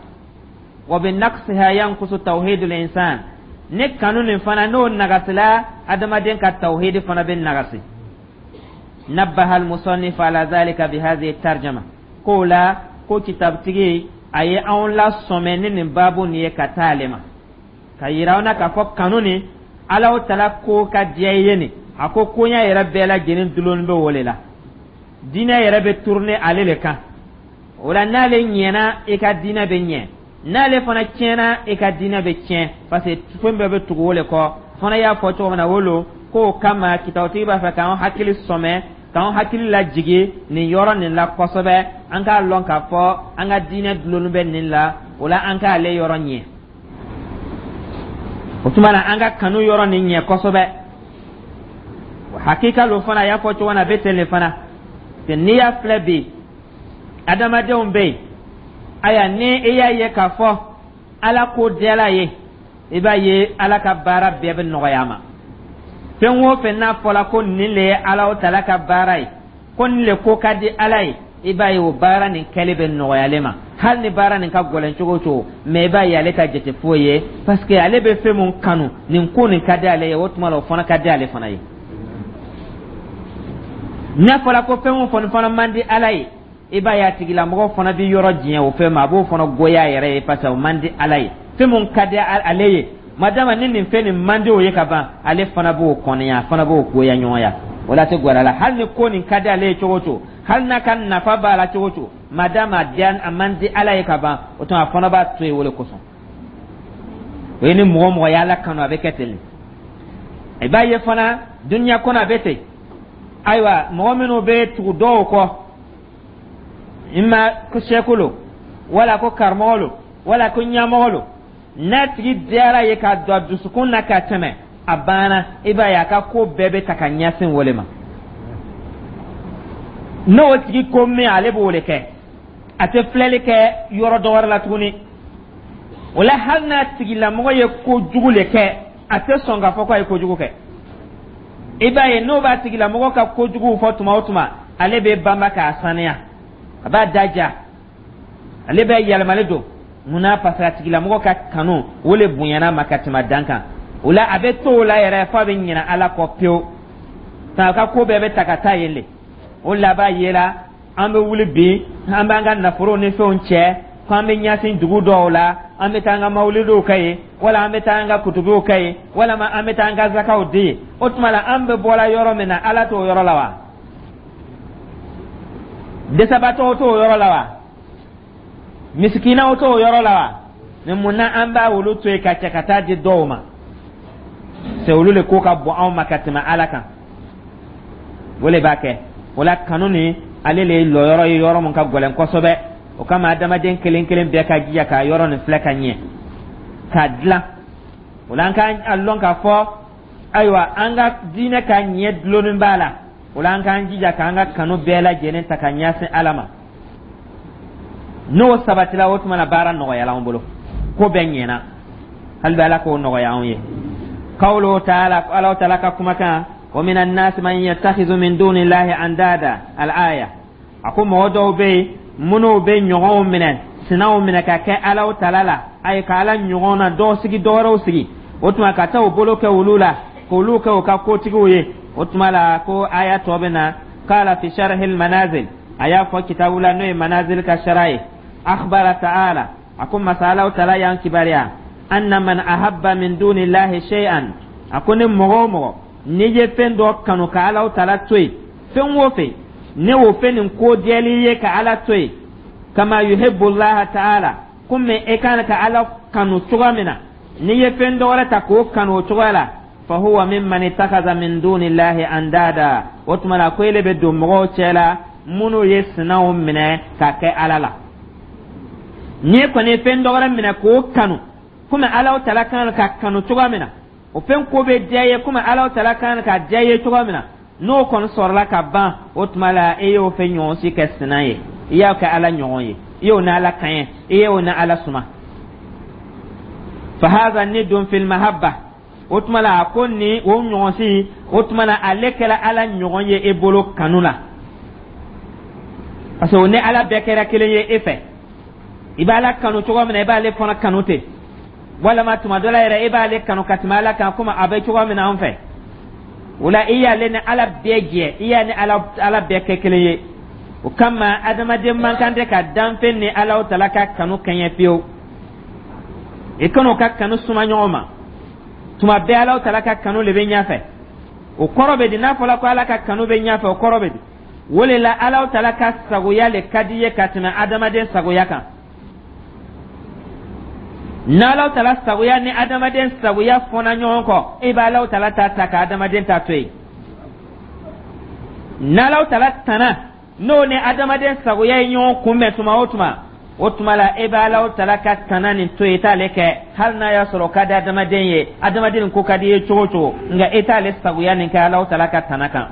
Wa bi naqsiha yanqusu tawhidul insan, ni kanu nin fana n'o nagasila, adamaden ka tawhidi fana bɛ nagasi. Nabbaha al-musannif ala dhalika bi hadhihi tarjama, k'o la ko kitabutigi a ye anw lasɔmɛ ni nin baabu nin ye ka taa ale ma, ka yira an na k'a fɔ kanu nin, Alahu taala ko ka diya i ye nin, a ko koɲɛ yɛrɛ bɛɛ lajɛlen dulonnen bɛ o le la, diinɛ yɛrɛ bɛ tourner ale le kan. O la, n'ale ɲɛna, i ka diinɛ bɛ ɲɛ, n'ale fana tiɲɛna, i ka diinɛ bɛ tiɲɛ, parce que fɛn bɛɛ bɛ tugu o le kɔ. Fana y'a fɔ cogo min na, o lo k'o kama kitabutigi b'a fɛ k'an hakili sɔmɛ, k'an hakili lajigi nin yɔrɔ nin la kosɛbɛ, an k'a lɔn k'a fɔ an ka diinɛ dulonnen bɛ nin la. O la, an k'ale yɔrɔ ɲɛ. O tuma na, an ka kanu yɔrɔ nin ɲɛ kosɛbɛ. O hakika lo fana, a y'a fɔ cogo min na, a bɛ ten le fana. N'i y'a filɛ bi, adamadenw bɛ yen, aya, ni i y'a ye k'a fɔ Ala ko diyala ye, i b'a ye Ala ka baara bɛɛ bɛ nɔgɔya a ma. Fɛn o fɛn n'a fɔla ko nin le ye Ala taala ka baara ye, ko nin le ko ka di Ala ye, i b'a ye o baara nin kɛli bɛ nɔgɔya ale ma, hali ni baara nin ka gɛlɛn cogo o cogo. Mais i b'a ye ale ta jate foyi ye, parce que ale bɛ fɛn mun kanu, nin ko nin ka di ale ye, o tuma la o fana ka di ale fana ye. N'a fɔra ko fɛn o fɛn fana man di Ala ye I b'a ye, a tigilamɔgɔ fana bɛ yɔrɔ janya o fɛn ma, a b'o fana goya a yɛrɛ ye, parce que o man di Ala ye. Fɛn mun ka di ale ye, madama ni nin fɛn nin man di o ye ka ban, ale fana b'o kɔniya, a fana b'o goya ɲɔgɔnya. O la, a tɛ gwɛrɛ la. Hali ni ko nin ka di ale ye cogo o cogo, hali n'a ka nafa b'a la cogo o cogo, madama a man di Ala ye ka ban, o tuma a fana b'a to yen. O de kosɔn, o ye ni mɔgɔ o mɔgɔ ye Ala kanu, a bɛ kɛ ten de. I b'a ye fana, duniya kɔnɔ, a bɛ ten. Ayiwa, mɔgɔ minnu bɛ tugu dɔw kɔ, ima ko sɛku lo, wala ko karamɔgɔ lo, wala ko ɲɛmɔgɔ lo, n'a tigi diyara ye k'a don a dusukun na ka tɛmɛ, a banna. I b'a ye, a ka ko bɛɛ bɛ ta ka ɲɛsin o le ma. N'o tigi ko min, ale b'o de kɛ, a tɛ filɛli kɛ yɔrɔ dɔ wɛrɛ la tuguni. O la, hali n'a tigilamɔgɔ ye kojugu le kɛ, a tɛ sɔn k'a fɔ k'a ye kojugu kɛ. I b'a ye, n'o b'a tigilamɔgɔ ka kojuguw fɔ tuma o tuma, ale bɛ banba k'a saniya, a b'a daja, ale bɛ yɛlɛmali don. Mun na? Parce que a tigilamɔgɔ ka kanu, o le bonyana ma ka tɛmɛ dan kan. O la, a bɛ to o la yɛrɛ f'a bɛ ɲinɛ Ala kɔ pewu. A ka ko bɛɛ bɛ ta ka taa yen le. O laban yela, an bɛ wuli bi, an b'an ka nafolow ni fɛnw cɛ ko an bɛ ɲɛsin dugu dɔw la, an bɛ taa an ka mawulidiw kɛ yen, wala an bɛ taa an ka kutubiw kɛ yen, walama an bɛ taa an ka zakaw di yen. O tuma la, an bɛ bɔra yɔrɔ min na, Ala t'o yɔrɔ la wa? Dɛsɛbaatɔw t'o yɔrɔ la wa? Misikinaw t'o yɔrɔ la wa? Ni mun na an b'a olu to yen ka cɛ ka taa di dɔw ma? C'est olu le ko ka bon anw ma ka tɛmɛ Ala kan. O le b'a kɛ. O la, kanu ni ale le ye lɔyɔrɔ ye, yɔrɔ mun ka gɛlɛn kosɛbɛ. O kama, adamaden kelen kelen bɛɛ ka jija k'a yɔrɔ nin filɛ ka ɲɛ k'a dilan. O la, an ka lɔn k'a fɔ, ayiwa, an ka diinɛ ka ɲɛ dulonnen b'a la. O la, an k'an jija k'an ka kanu bɛɛ lajɛlen ta ka ɲɛsin Ala ma. N'o sabatila, o tuma na baara nɔgɔyala an bolo, ko bɛɛ ɲɛna. Hali bɛ Ala k'o nɔgɔya anw ye. Qawluhu ta'ala, Ala ta'ala ka kumakan: wa min annasi man yattakhidhu min dunillahi andada, al-aya. A ko mɔgɔ dɔw bɛ yen minnu bɛ ɲɔgɔnw minɛ, sinaw minɛ ka kɛ Alaw tala la, ayi, ka Ala ɲɔgɔn na dɔw sigi, dɔ wɛrɛw sigi. O tuma ka taa u bolo kɛ olu la, k'olu kɛ u ka kotigiw ye. O tuma la, ko aya tɔ bɛ na. Qala fi sharhil manazil, a y'a fɔ kitabu la, n'o ye Manazil ka sara ye: akhbara ta'ala, a ko masa Alaw tala y'an kibaruya, anna man ahabba min dunillahi shay'an, a ko ni mɔgɔ o mɔgɔ n'i ye fɛn dɔ kanu ka Alaw tala to yen, fɛn o fɛn ne o fɛn nin ko diyali ye ka Ala to yen, kama yuhibbu Allah ta'ala, komi e kan ka Ala kanu cogoya min na, n'i ye fɛn dɔ wɛrɛ ta k'o kanu o cogoya la, fahuwa mimman ittakhadha min dunillahi andada, o tuma la ko ele bɛ don mɔgɔw cɛ la minnu ye sinaw minɛ ka kɛ Ala la. N'i kɔni ye fɛn dɔ wɛrɛ minɛ k'o kanu komi Alaw tala kan ka kanu cogoya min na, o fɛn ko bɛ diya ye komi Alaw tala kan ka diya ye cogoya min na, n'o kɔni sɔrɔla ka ban, o tuma la e y'o fɛn ɲɔgɔn si kɛ sina ye, i y'a kɛ Ala ɲɔgɔn ye, i y'o ni Ala kaɲɛ, i y'o ni Ala suma. Fahaza nidun fil mahabba, o tuma la a ko ni o ɲɔgɔn si, o tuma la ale kɛra Ala ɲɔgɔn ye e bolo kanu la, parce que o ni Ala bɛɛ kɛra kelen ye e fɛ. I b'Ala kanu cogo min na, i b'ale fana kanu ten, walama tuma dɔ la yɛrɛ, i b'ale kanu ka tɛmɛ Ala kan, komi a bɛ cogo min na an fɛ. O la, i y'ale ni Ala bɛɛ jɛ, i y'a ni Ala bɛɛ kɛ kelen ye. O kama, adamaden man kan tɛ ka danfɛn ni Ala tala ka kanu kɛɲɛ fiyewu. I kan'o ka kanu suma ɲɔgɔn ma. Tuma bɛɛ, Ala tala ka kanu le bɛ ɲɛfɛ. O kɔrɔ bɛ di? N'a fɔra ko Ala ka kanu bɛ ɲɛfɛ, o kɔrɔ bɛ di? O le la, Ala tala ka sagoya le ka di ye ka tɛmɛ adamaden sagoya kan. N'Ala tala sagoya ni adamaden sagoya fɔna ɲɔgɔn kɔ, e bɛ Ala tala ta ta ka adamaden ta to yen. N'Ala tala tana, n'o ni adamaden sagoya ye ɲɔgɔn kunbɛn tuma o tuma, o tuma la e bɛ Ala tala ka tana nin to yen, i t'ale kɛ, hali n'a y'a sɔrɔ o ka di adamaden ye, adamaden nin ko ka di i ye cogo o cogo, nka e t'ale sagoya nin kɛ Ala tala ka tana kan.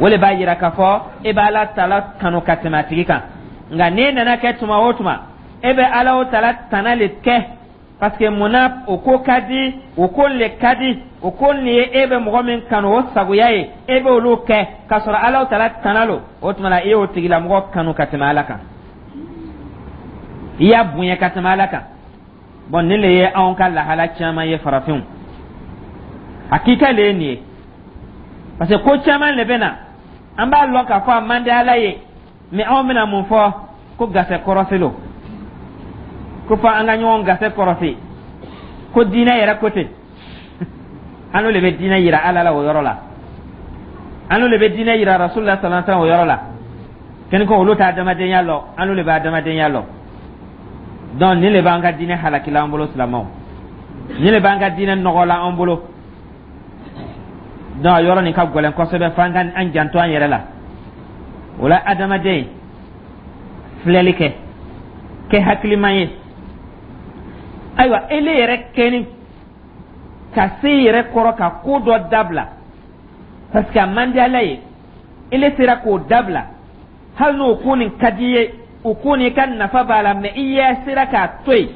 O le b'a yira k'a fɔ e bɛ Ala tala kanu ka tɛmɛ a tigi kan. Nka n'e nana kɛ tuma o tuma, e bɛ Ala tala tana le kɛ, parce que mun na? O ko ka di, o ko le ka di, o ko nin ye e bɛ mɔgɔ min kanu o sagoya ye, e bɛ olu kɛ k'a sɔrɔ Ala tala tana lo. O tuma la, e y'o tigilamɔgɔ kanu ka tɛmɛ Ala kan, i y'a bonya ka tɛmɛ Ala kan. Bɔn, nin le ye anw ka lahala caman ye, farafinw. Hakika le ye nin ye, parce que ko caman le bɛ na, an b'a lɔn k'a fɔ a man di Ala ye. Mais anw bɛna mun fɔ? Ko gasɛ kɔrɔsi lo, ko fɔ an ka ɲɔgɔn gasɛ kɔrɔsi, ko diinɛ yɛrɛ ko ten. An n'o le bɛ diinɛ yira Ala la o yɔrɔ la, an n'o le bɛ diinɛ yira Rasulillah sallallahu alaihi wasallam o yɔrɔ la. Kɛni ko olu t'a adamadenya lɔ, an n'o le bɛ adamadenya lɔ. Donc nin le b'an ka diinɛ halakila an bolo, silamɛw, nin le b'an ka diinɛ nɔgɔla an bolo. Donc a yɔrɔ nin ka gɛlɛn kosɛbɛ, f'an ka an janto an yɛrɛ la. O la, adamaden, filɛli kɛ, kɛ hakilima ye. Ayiwa, ele yɛrɛ kɛni ka se yɛrɛ kɔrɔ ka ko dɔ dabila parce que a man di Ala ye, ele sera k'o dabila, hali n'o ko nin ka di ye, o ko nin ka nafa b'a la, mais i yɛ sera k'a to yen.